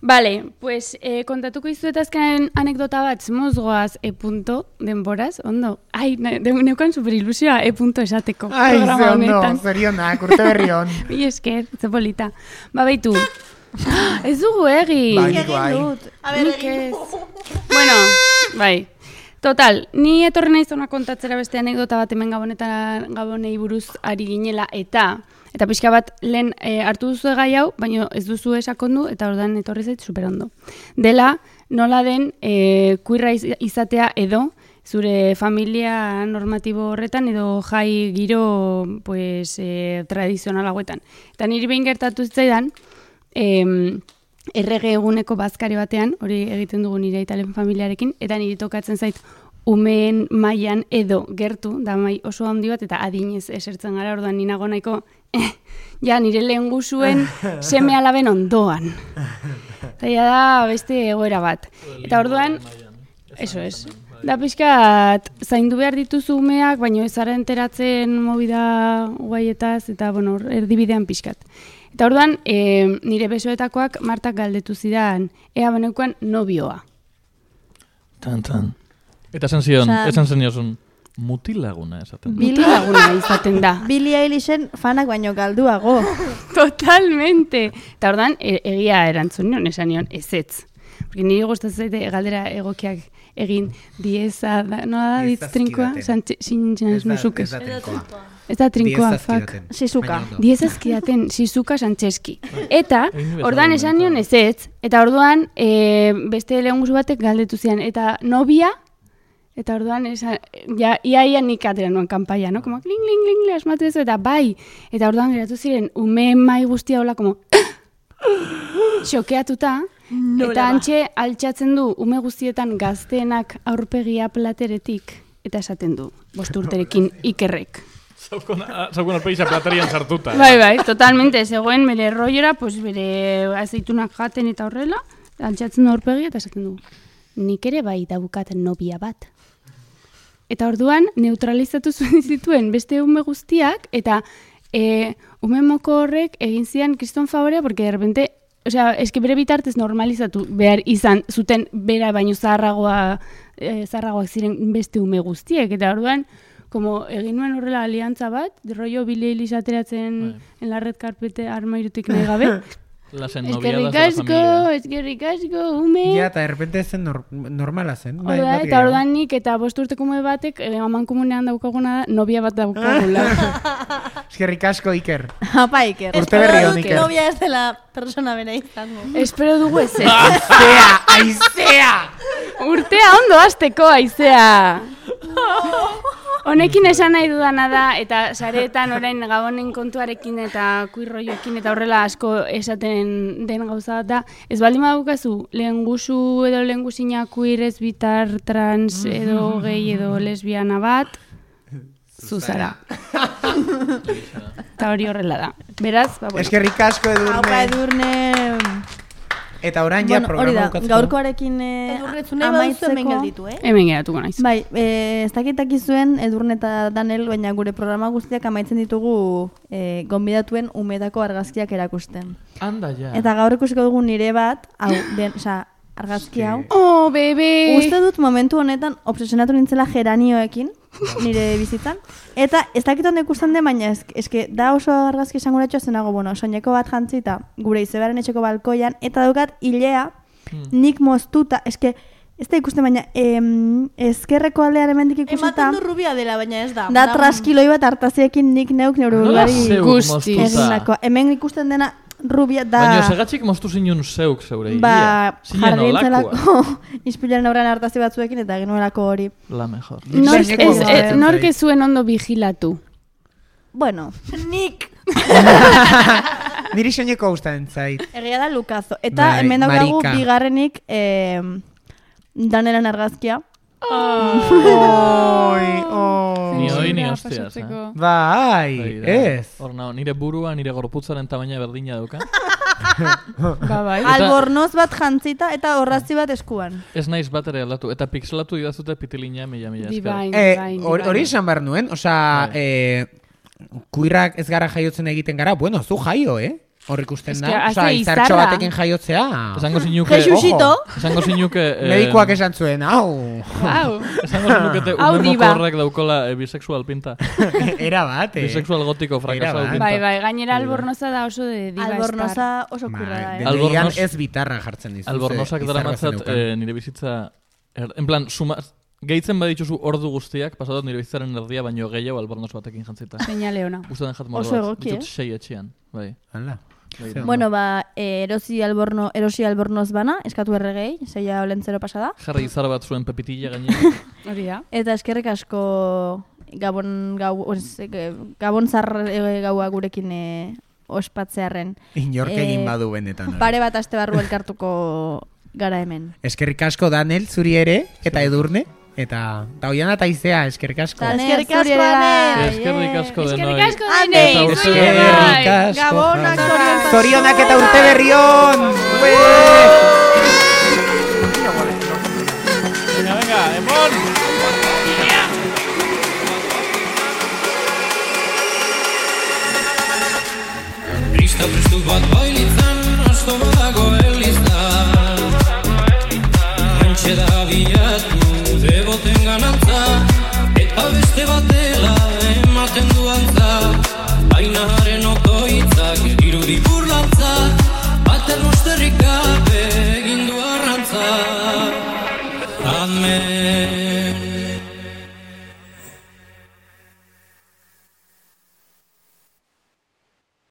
[SPEAKER 7] Vale, pues eh, kontatuko izuet azken anekdota bat, mozgoaz e punto denboraz, ondo. Ai, ne, de, neukan super ilusioa e punto esateko
[SPEAKER 4] Ai, ze
[SPEAKER 7] programa
[SPEAKER 4] ondo,
[SPEAKER 7] honetan.
[SPEAKER 4] zorionak, urte berri on.
[SPEAKER 7] Bi esker, ze polita. Ba, baitu. Ez dugu egin.
[SPEAKER 4] Bai, nik bai.
[SPEAKER 6] A ber,
[SPEAKER 7] Nik ez. Bueno, bai. Total, ni etorri naiz hona kontatzera beste anekdota bat hemen gabonetan gabonei buruz ari ginela eta eta pixka bat lehen e, hartu duzu gai hau, baina ez duzu esakondu eta ordan etorri zait superondo. Dela, nola den e, kuirra iz- izatea edo zure familia normatibo horretan edo jai giro pues, e, tradizional hauetan. Eta niri behin gertatu zitzaidan, em, errege eguneko bazkari batean, hori egiten dugu nire italen familiarekin, eta niri tokatzen zait umeen mailan edo gertu, da mai oso handi bat, eta adinez esertzen gara, orduan ni nago nahiko, eh, ja nire lehen guzuen seme alaben ondoan. Eta ja da beste egoera bat. Eta orduan, eso es. Da pixkat, zaindu behar dituzu umeak, baina ez zara enteratzen movida guaietaz, eta bueno, erdibidean pixkat. Eta orduan, e, nire besoetakoak Martak galdetu zidan, ea beneukan nobioa.
[SPEAKER 5] Tan, tan. Eta esan zion,
[SPEAKER 6] Osea-
[SPEAKER 5] esan zeniozun, mutilaguna esaten. da.
[SPEAKER 6] Billy-
[SPEAKER 7] Mutilaguna izaten da.
[SPEAKER 6] Billie Eilishen fanak baino galduago.
[SPEAKER 7] Totalmente. Eta orduan, e, egia erantzun nion, esan nion, ezetz. Porque nire gustatzen zaite galdera egokiak egin dieza, da, nola da,
[SPEAKER 4] Diez
[SPEAKER 7] ditz trinkoa?
[SPEAKER 4] zazkidaten.
[SPEAKER 7] Sin
[SPEAKER 4] Ez da-
[SPEAKER 7] musukez.
[SPEAKER 4] ez da trinkoa.
[SPEAKER 7] Ez da trinkoa,
[SPEAKER 4] Diez
[SPEAKER 7] fuck.
[SPEAKER 4] zazkidaten.
[SPEAKER 6] Shizuka.
[SPEAKER 4] Baina ondo.
[SPEAKER 7] Diez azkidaten, Shizuka Santzeski. Eta,
[SPEAKER 5] Egin bezala
[SPEAKER 7] orduan esan nion
[SPEAKER 5] momentua.
[SPEAKER 7] ezetz, eta orduan e, beste lehunguzu batek galdetu zian, eta nobia, eta orduan esan, ja, ia ia nik atera nuen kanpaia, no? Como, kling, kling, kling, asmatu ez, eta bai, eta orduan geratu ziren, ume mai guztia hola, como, xokeatuta, eta antxe altxatzen du ume guztietan gazteenak aurpegia plateretik, eta esaten du, bost urterekin ikerrek.
[SPEAKER 5] Zaukun alpeixa platerian sartuta.
[SPEAKER 7] Bai, bai, totalmente, zegoen bere rollera, pues bere azeitunak jaten eta horrela, altxatzen du aurpegia eta esaten du, nik ere bai daukat nobia bat. Eta orduan, neutralizatu zuen zituen beste ume guztiak, eta e, ume moko horrek egin zian kriston favorea, porque de repente osea, eske bere bitartez normalizatu behar izan zuten bera baino zaharragoa, eh, zaharragoak ziren beste ume guztiek, eta orduan, como egin nuen horrela aliantza bat, rollo Billie Eilish ateratzen en la red carpete armairutik nahi gabe.
[SPEAKER 5] Las
[SPEAKER 7] Eskerrik
[SPEAKER 5] ennoviadas de la
[SPEAKER 7] asko,
[SPEAKER 5] familia.
[SPEAKER 7] eskerrik asko, ume.
[SPEAKER 4] Ja, eta errepente zen nor normala zen. Bai,
[SPEAKER 7] Orda,
[SPEAKER 4] bat
[SPEAKER 7] eta
[SPEAKER 4] gehiago.
[SPEAKER 7] ordan nik eta bost urteko ume batek eh, aman komunean daukaguna da, nobia bat daukagula.
[SPEAKER 4] Eskerrik asko, Iker.
[SPEAKER 6] Apa, Iker.
[SPEAKER 4] Urte berri
[SPEAKER 6] Espero
[SPEAKER 4] on,
[SPEAKER 6] dut
[SPEAKER 4] Iker.
[SPEAKER 6] novia ez dela persona bera izango.
[SPEAKER 7] Espero dugu ez ez.
[SPEAKER 4] Aizea, aizea!
[SPEAKER 7] Urtea ondo hasteko aizea. Honekin esan nahi dudana da, eta sareetan orain gabonen kontuarekin eta kuirroioekin eta horrela asko esaten den gauza da, ez baldin badukazu lehengusu edo lehengusina kuir ez bitar trans edo gay edo lesbiana bat, zuzara. Eta hori horrela da. Beraz, ba, bueno.
[SPEAKER 4] Eskerrik asko,
[SPEAKER 6] Aupa,
[SPEAKER 4] Edurne.
[SPEAKER 6] Edurne.
[SPEAKER 4] Eta orain ja
[SPEAKER 6] Bueno, hori
[SPEAKER 4] programa
[SPEAKER 6] da,
[SPEAKER 4] bukatzeko.
[SPEAKER 6] gaurkoarekin eh, Edurne, zu nahi baduzu hemen
[SPEAKER 2] amaitzeko-
[SPEAKER 6] gelditu, eh?
[SPEAKER 7] Hemen geratuko naiz.
[SPEAKER 2] Bai, eh, ez dakitaki zuen Edurne eta Danel, baina gure programa guztiak amaitzen ditugu eh, gonbidatuen umedako argazkiak erakusten.
[SPEAKER 5] Anda, ja.
[SPEAKER 2] Eta gaur ikusiko dugu nire bat, hau, den, osea, argazki hau.
[SPEAKER 7] Oh, bebe!
[SPEAKER 2] Uste dut momentu honetan obsesionatu nintzela geranioekin, nire bizitzan. Eta ez dakit ondo ikusten den, baina ez, eske da oso argazki esanguratxoa zenago, bueno, soineko bat jantzita, gure izebaren etxeko balkoian, eta daukat hilea, nik moztuta, eske, ez da ikusten, baina em, ezkerreko aldean hemendik ikusita,
[SPEAKER 6] Ematen du rubia dela, baina ez da.
[SPEAKER 2] da traskiloi bat hartaziekin nik neuk neure
[SPEAKER 5] Nola
[SPEAKER 2] buruari
[SPEAKER 5] zeuk
[SPEAKER 7] guztiz.
[SPEAKER 5] moztuta?
[SPEAKER 2] egindako. Hemen ikusten dena rubia da...
[SPEAKER 5] Baina segatxik moztu zinun zeuk zeure
[SPEAKER 2] Ba,
[SPEAKER 5] egia. Zinen
[SPEAKER 2] jarri
[SPEAKER 5] olakoa.
[SPEAKER 2] entzelako ispilaren aurrean hartazi batzuekin eta genuelako hori.
[SPEAKER 5] La mejor.
[SPEAKER 7] Nork
[SPEAKER 4] Soineko
[SPEAKER 7] ez,
[SPEAKER 4] bat.
[SPEAKER 7] ez, nork ez zuen ondo vigilatu.
[SPEAKER 2] Bueno,
[SPEAKER 6] Nik!
[SPEAKER 4] Niri soineko gustatzen zait.
[SPEAKER 2] egia da Lukazo. Eta
[SPEAKER 4] Bai,
[SPEAKER 2] hemen daukagu
[SPEAKER 4] marika.
[SPEAKER 2] bigarrenik eh, Danelan argazkia.
[SPEAKER 4] Oi, oi.
[SPEAKER 5] Ni hoi ni hostias, eh?
[SPEAKER 4] Bai,
[SPEAKER 5] Hori da.
[SPEAKER 4] ez.
[SPEAKER 5] Hor nao, nire burua, nire gorputzaren tamaina berdina dauka.
[SPEAKER 7] Ba, bai.
[SPEAKER 5] Eta-
[SPEAKER 2] Albornoz bat jantzita eta horrazi bat eskuan.
[SPEAKER 5] Ez naiz bat ere aldatu. Eta pixelatu idazute pitilina mila mila esker.
[SPEAKER 7] Divine,
[SPEAKER 4] Eh,
[SPEAKER 7] divine,
[SPEAKER 4] hor- Hori
[SPEAKER 7] divine.
[SPEAKER 4] esan behar nuen, osea,
[SPEAKER 5] Bai.
[SPEAKER 4] eh, kuirrak ez gara jaiotzen egiten gara, bueno, zu jaio, eh? Hor ikusten
[SPEAKER 7] Ez
[SPEAKER 4] da,
[SPEAKER 7] que
[SPEAKER 4] osea,
[SPEAKER 7] hace
[SPEAKER 4] izartxo
[SPEAKER 7] izarra.
[SPEAKER 4] batekin jaiotzea.
[SPEAKER 5] Esango zinuke...
[SPEAKER 6] Jesusito.
[SPEAKER 5] Esango zinuke... eh,
[SPEAKER 4] Medikoak esan zuen, hau.
[SPEAKER 7] Wow.
[SPEAKER 5] Esango zinukete
[SPEAKER 7] Hau
[SPEAKER 5] ume
[SPEAKER 7] diba.
[SPEAKER 5] mokorrek daukola eh, bisexual pinta.
[SPEAKER 4] Era bat, eh?
[SPEAKER 5] Bisexual gotiko fracasado
[SPEAKER 4] bat.
[SPEAKER 5] pinta.
[SPEAKER 7] Bai, bai, gainera albornoza da oso de diva
[SPEAKER 2] Albornoza
[SPEAKER 7] star.
[SPEAKER 2] oso kurra da,
[SPEAKER 4] Bai,
[SPEAKER 2] eh?
[SPEAKER 5] Albornoz-
[SPEAKER 4] deneian ez bitarra jartzen dizu.
[SPEAKER 5] Albornozak daramatzat eh, nire bizitza... Er, en plan, suma, gehitzen badituzu ordu guztiak, pasatot nire bizitzaren erdia, baino gehiago albornoz batekin jantzita.
[SPEAKER 7] Seinale ona.
[SPEAKER 5] Gustatzen jat
[SPEAKER 2] Oso
[SPEAKER 5] mordoa.
[SPEAKER 2] egoki,
[SPEAKER 5] Ditut
[SPEAKER 2] eh?
[SPEAKER 5] sei etxean. Bai.
[SPEAKER 4] Hala.
[SPEAKER 5] Bai.
[SPEAKER 2] Bueno, ba, eh, erosi alborno, erosi albornoz bana, eskatu erregei, zeia olentzero pasada.
[SPEAKER 5] Jarri izar bat zuen pepitilla gainera.
[SPEAKER 7] Hori da.
[SPEAKER 2] Eta eskerrik asko gabon, gau, os, eh, gabon zar eh, gaua gurekin eh, ospatzearren.
[SPEAKER 4] Inork
[SPEAKER 2] Eh,
[SPEAKER 4] egin badu benetan. hori.
[SPEAKER 2] Pare bat aste barru elkartuko gara hemen.
[SPEAKER 4] Eskerrik asko Danel, zuri ere, eta Edurne, eta eta Oiana eta Izea, eskerrik asko.
[SPEAKER 2] Danel,
[SPEAKER 6] Eskerrik
[SPEAKER 2] zuri
[SPEAKER 6] asko,
[SPEAKER 2] ere bai.
[SPEAKER 6] Danel.
[SPEAKER 5] Eskerrik asko denoi.
[SPEAKER 7] Eskerrik asko
[SPEAKER 6] Ane,
[SPEAKER 7] denei.
[SPEAKER 5] eta
[SPEAKER 7] zuei
[SPEAKER 5] urte-
[SPEAKER 7] ere bai.
[SPEAKER 4] Eskerrik asko.
[SPEAKER 6] Gabonak, zoriontasuna.
[SPEAKER 4] Zorionak eta urte berri on!